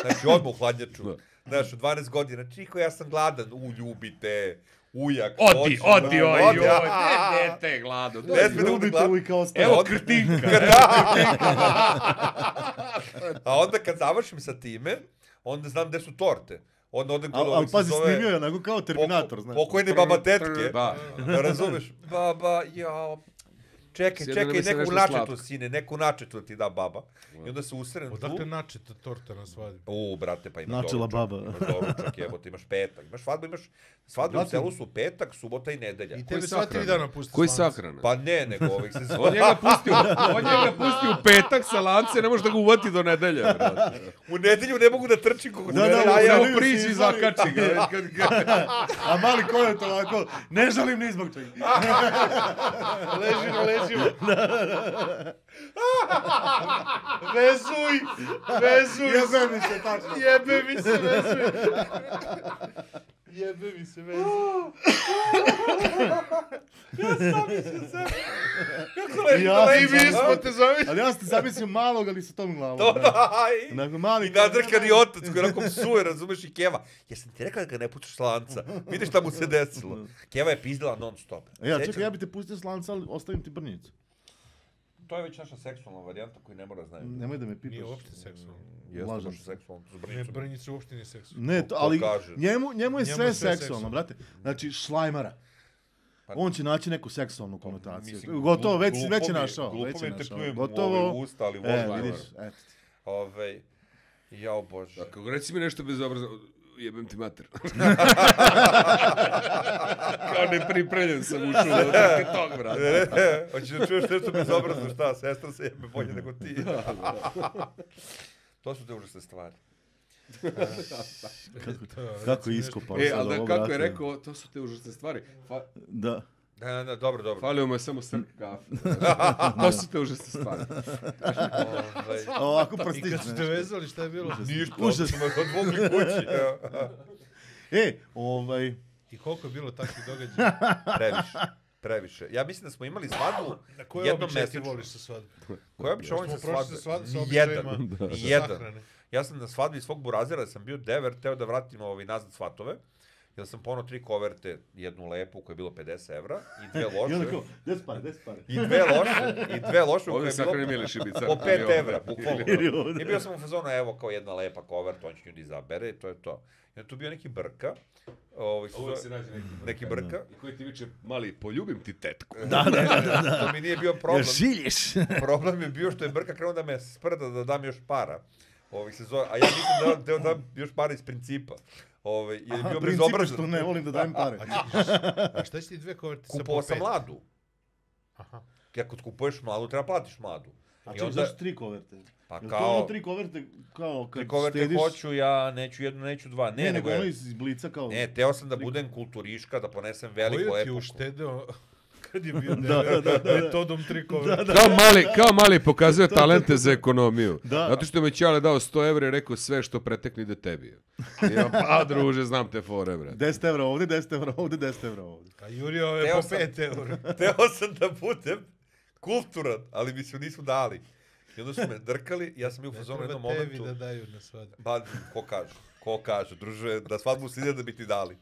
Znači, odmah u hladnjaču. Znaš, u dvanaest godina, čiko, ja sam gladan. U, ljubite, ujak. Odi, hoće, odi, da, oj, odi. oj, ne, ne, te glado. Ne sme da bude Ljubite gladan. uvijek kao staro. Evo krtinka. A onda kad završim sa time, onda znam gde su torte. Onda odem kod Al, al ovih se pazi, zove... snimio je onako kao Terminator, poko- znaš. Pokojne baba tetke. Da. Razumeš? Baba, jao. Čekaj, Sjedno da čekaj, mi se neku nešto načetu, slatko. sine, neku načetu ti da baba. I onda se usrem tu. Odakle načeta torta na svadbi? U, brate, pa imaš Načela doručak. baba. Imaš doručak, jebote, imaš petak. Imaš svadbu, imaš... Svadbu u Brate- selu su petak, subota i nedelja. I tebe Koji sva tri sahrana? dana pusti Koji s lanca. sahrana? Pa ne, nego ovih se On zove... njega pusti, u- on njega pusti u petak sa lance, ne može da ga uvati do nedelje, brate. U nedelju ne mogu da trčim kako Da, da, ja, u ja, nedelju Evo si priđi i izvali. zakači ga. Kad ga- A mali kojot ovako, ne žalim ni zbog čega. Leži na leđima. Vezuj! Vezuj! Jebe mi se, tačno. Jebe mi se, vezuj! Jebe mi se, vezuj! Kako leži Ja na sam I mi leđima, smo a? te zamislili. Ali ja sam ti zamislio malog, ali sa tom glavom. To da. da, aj. Onako mali... I nadrkani otac koji onako psuje, razumeš, i Keva. Jesam ti rekao da ga ne puštaš s lanca? Vidiš šta mu se desilo. Keva je pizdila non stop. E, ja, Sjećam- čekaj, ja bi te pustio s lanca, ali ostavim ti brnjicu. To je već naša seksualna varijanta koju ne mora znaju. Nemoj da me pitaš. Nije uopšte seksualno. Jeste Lažem baš se. seksualno, to s Ne, brnicom. brnjica uopšte nije seksualno. Ne, to, Ko ali kaže? njemu, njemu je Njemu sve je sve seksualno, seksualno. brate. Znači, šlajmara. Pa- On će naći neku seksualnu konotaciju. Mislim, Gotovo, glup- već, glupo već je mi je- našao. glupo Već mi je je te našao. pljujem u Gotovo. ove usta, ali E, volim. vidiš, eto. Ove, jao bože. Kako reci mi nešto bezobrazno, jebem ti mater. Kao nepripremljen sam ušao od trke tog, brate. Hoćeš da čuješ nešto bezobrazno, šta, sestra se jebe bolje nego ti. To su te užasne stvari. Kako je iskopao E, sad ali da, ovo, kako je brate. rekao, to su te užasne stvari. Fa, Da. Da, da, dobro, dobro. falio mu je samo srk kafe. To su te užasne stvari. Ovaj, Ovako I kad prstić. su te vezali, šta je bilo? ništa, Užas. smo odvogli kući. E, ovaj, I koliko je bilo takvih događaja? Previše. Previše. Ja mislim da smo imali svadbu Na koje jednom običaje ti mesečno. voliš sa svadbe? Koja običaj volim Smo sa prošli svadbe? sa svad- sa Nijedan. običajima Nijedan. sahrane. Ja sam na svadbi svog burazera, sam bio dever, teo da vratim ovaj nazad svatove. Jer sam ponao tri koverte, jednu lepu koja je bilo pedeset evra i dve I onda loše. kao, gde su pare, gde su pare? I dve loše, i dve loše koje Ovdje je sahrani bilo Miliš Ibica. po pet Ili evra, ovdje. bukvalno. Ili ovdje. I bio sam u fazonu, evo kao jedna lepa kovert, on će nju da izabere i to je to. I onda tu bio neki brka. Ovaj, Uvijek se se zove- nađe neki neki brka. I koji ti viče, mali, poljubim ti tetku. Da, da, da, da. To mi nije bio problem. Jer šiljiš. Problem je bio što je brka krenuo da me sprda da dam još para. Ovih se zove, a ja nisam da, da dam još para iz principa. Ovaj, jer je Aha, bio princip je bezobrazan. što ne volim da dajem pare. A šta će ti dve koverte sa po Kupovao sam pet? mladu. Aha. Ja kad kupuješ mladu, treba platiš mladu. A I čekaj, onda- zašto tri koverte? Pa Jel to kao- ono tri koverte kao kad Tri koverte štediš? hoću, ja neću jednu, neću dva. Ne, Ne, nego nego ono je, iz blica kao... ne, teo sam da budem kulturiška, da ponesem veliku Kojo ti je epoku. uštedeo kad je bio Da, devet, da, da, da. metodom tri koverte? Kao mali, kao mali pokazuje talente za ekonomiju. Da. Zato što mi Ćale dao sto evra i rekao sve što pretekne ide tebi. I ja, pa druže, znam te fore, bre. deset evra ovdje, deset evra ovdje, deset evra ovdje. A Jurio je Teo po sam- pet eura. Teo sam da budem kulturan, ali mi se nisu dali. I onda su me drkali, ja sam bio u Ne fazonu u treba jednom tebi momentu. da daju na svadbu. Ba, ko kaže, ko kaže, druže, da svadbu se ide da bi ti dali.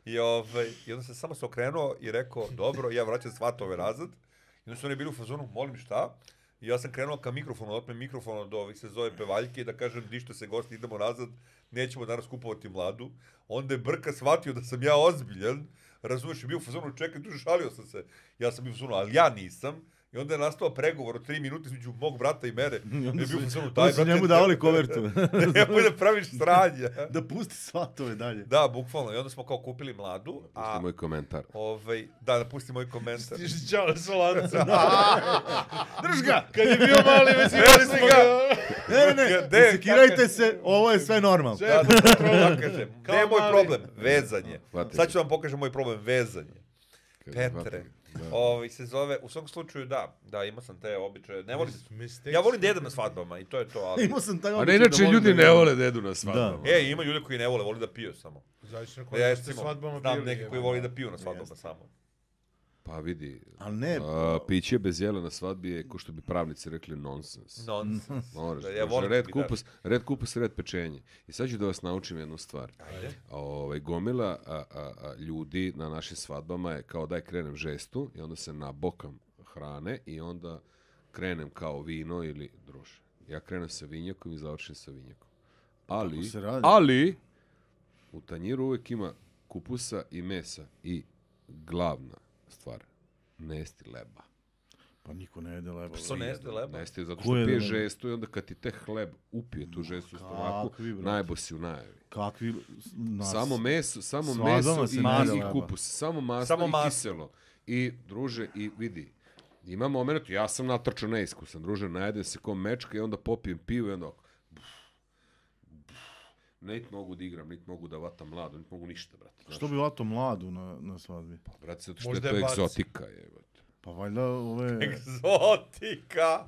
I, ovaj, I onda sam samo se okrenuo i rekao, dobro, ja vraćam svatove nazad. I onda su oni bili u fazonu, molim šta? I ja sam krenuo ka mikrofonu, da otmem mikrofon od ovih se zove pevaljke i da kažem, dište se gosti, idemo nazad, nećemo danas kupovati mladu. Onda je Brka shvatio da sam ja ozbiljan, razumeš, i bio u fazonu, čekaj, tu šalio sam se. Ja sam bio u fazonu, ali ja nisam. I onda je nastao pregovor od tri minuta između mog brata i mene. I onda je su, bio u fazonu, onda daj, su brate, njemu davali kovertu. nemoj da praviš sranje. Da pusti svatove dalje. Da, bukvalno. I onda smo kao kupili mladu, Pusti a moj komentar. ovaj, da, da pusti moj komentar. Stiži čao s lancem. Drž ga! Kad je bio mali, već imali smo ga. Ne, ne, ne, Gde, ne sekirajte se, ovo je sve normalno. Da, da, da, kažem. Gde Kao je moj mali. problem? Vezanje. Hvati Sad se. ću vam pokažem moj problem, vezanje. Kaže, Petre. hvati. Da. Ovaj se zove, u svakom slučaju da, da, imao sam te običaje. Ne volim, Mistakes. ja volim da jedem na svadbama i to je to, ali... Imao sam taj A običaj ne, inače da volim ljudi da- ne vole da jedu na svadbama. E, ima ljudi koji ne vole, voli da piju samo. Zavisno na Ja kojim ste recimo, svadbama znam bili. neki koji voli da piju na svadbama Jeste. samo. Pa vidi, Ali ne, a, piće bez jela na svadbi je, ko što bi pravnici rekli, nonsens. Nonsens. Moraš, Da, ja druže, volim red da bi kupus, red kupus, red pečenje. I sad ću da vas naučim jednu stvar. Ajde. A, ovaj, gomila a, a, a, ljudi na našim svadbama je kao daj krenem žestu i onda se nabokam hrane i onda krenem kao vino ili druže. Ja krenem sa vinjakom i završim sa vinjakom. Ali, se radi? ali, u tanjiru uvijek ima kupusa i mesa i glavna stvar, ne jesti leba. Pa niko ne jede leba. Što ne jeste leba? Ne jesti zato Ko što jede pije leba? žestu i onda kad ti te hleb upije tu žestu u stomaku, kakvi, brate? najbo si u najavi. Kakvi... Nas... Samo meso, samo Svadbama meso se i, ne jede i leba. kupus, samo masno Samo i masno. kiselo. I druže, i vidi, ima moment, ja sam natrčao neiskusan, druže, najedem se ko mečka i onda popijem pivo i onda ovako, buf, buf. Nit mogu da igram, nit mogu da vatam mladu, nit mogu ništa, brate. Znaš, Što bi vato mladu na, na svadbi? Pa, brate, zato što Možda je to je baci. egzotika, jebote. Pa valjda ove... Egzotika!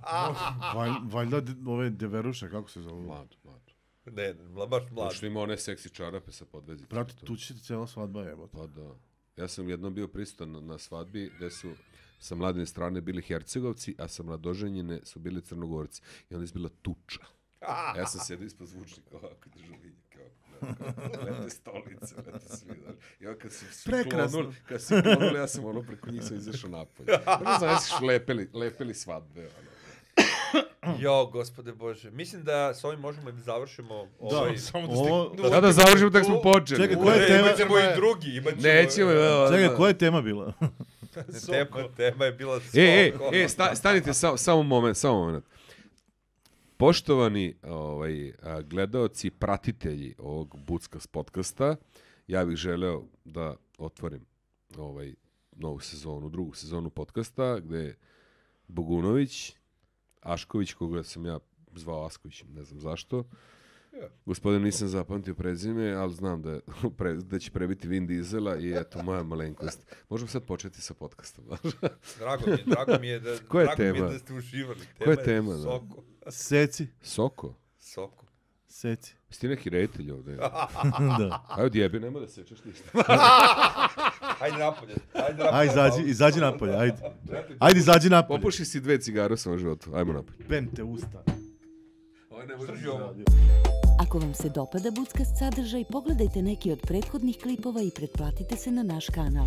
Valj, valjda de- ove deveruše, kako se zovu? Mladu, mladu. Ne, ne, baš Zato mlad. što ima one seksi čarape sa podvezicom. Brate, To. tu će ti cijela svadba jebote. Pa da. Ja sam jednom bio prisutan na, na svadbi gde su sa mladine strane bili Hercegovci, a sa mladoženjine su bili Crnogorci. I onda je bila tuča. A ja sam sjedio ispod zvučnika ovako, držao vinjake ovako. Lete stolice, lete svi. znaš. I onda kad su svi Prekrasno. klonuli, kad su klonuli, ja sam ono preko njih sam izašao napolje. Ne znam, ja sam lepili, lepili svadbe. Ono. Jo, gospode Bože. Mislim da s ovim možemo da završimo ovaj... Samo da Ovo... stignu. Da, da završimo, tak smo počeli. Čekaj, U, koja je ne, tema? imat ćemo i drugi, imat ćemo... Nećemo, evo. Čekaj, koja je tema bila? Tema, tema je bila E, e, Soko. e, sta, stanite samo samo moment, samo moment. Poštovani ovaj, a, gledaoci, pratitelji ovog Buckas podcasta, ja bih želeo da otvorim ovaj novu sezonu, drugu sezonu podcasta, gde je Bogunović, Ašković, koga sam ja zvao Asković, ne znam zašto. Ja. Gospodin nisam zapamtio prezime, ali znam da, je pre, da će prebiti Vin Diesela i eto, moja malenkost. Možemo sad početi sa podcastom. Drago mi je, drago mi je da, Koja je drago mi tema? je da ste uživali. Koja je tema, da? Soko. Seci. Soko? Soko. Seci. Jesi ti neki reditelj ovde? Da. Ajde, odjebi, nema da sečeš ništa. Ajde napolje. Ajde napolje. Ajde, izađi, izađi napolje, ajde. Ajde, izađi napolje. Popuši si dve cigare u svom životu. Ajmo napolje. Bem te usta. Ovo ne Drži ovo. Ako vam se dopada Buckast sadržaj, pogledajte neki od prethodnih klipova i pretplatite se na naš kanal.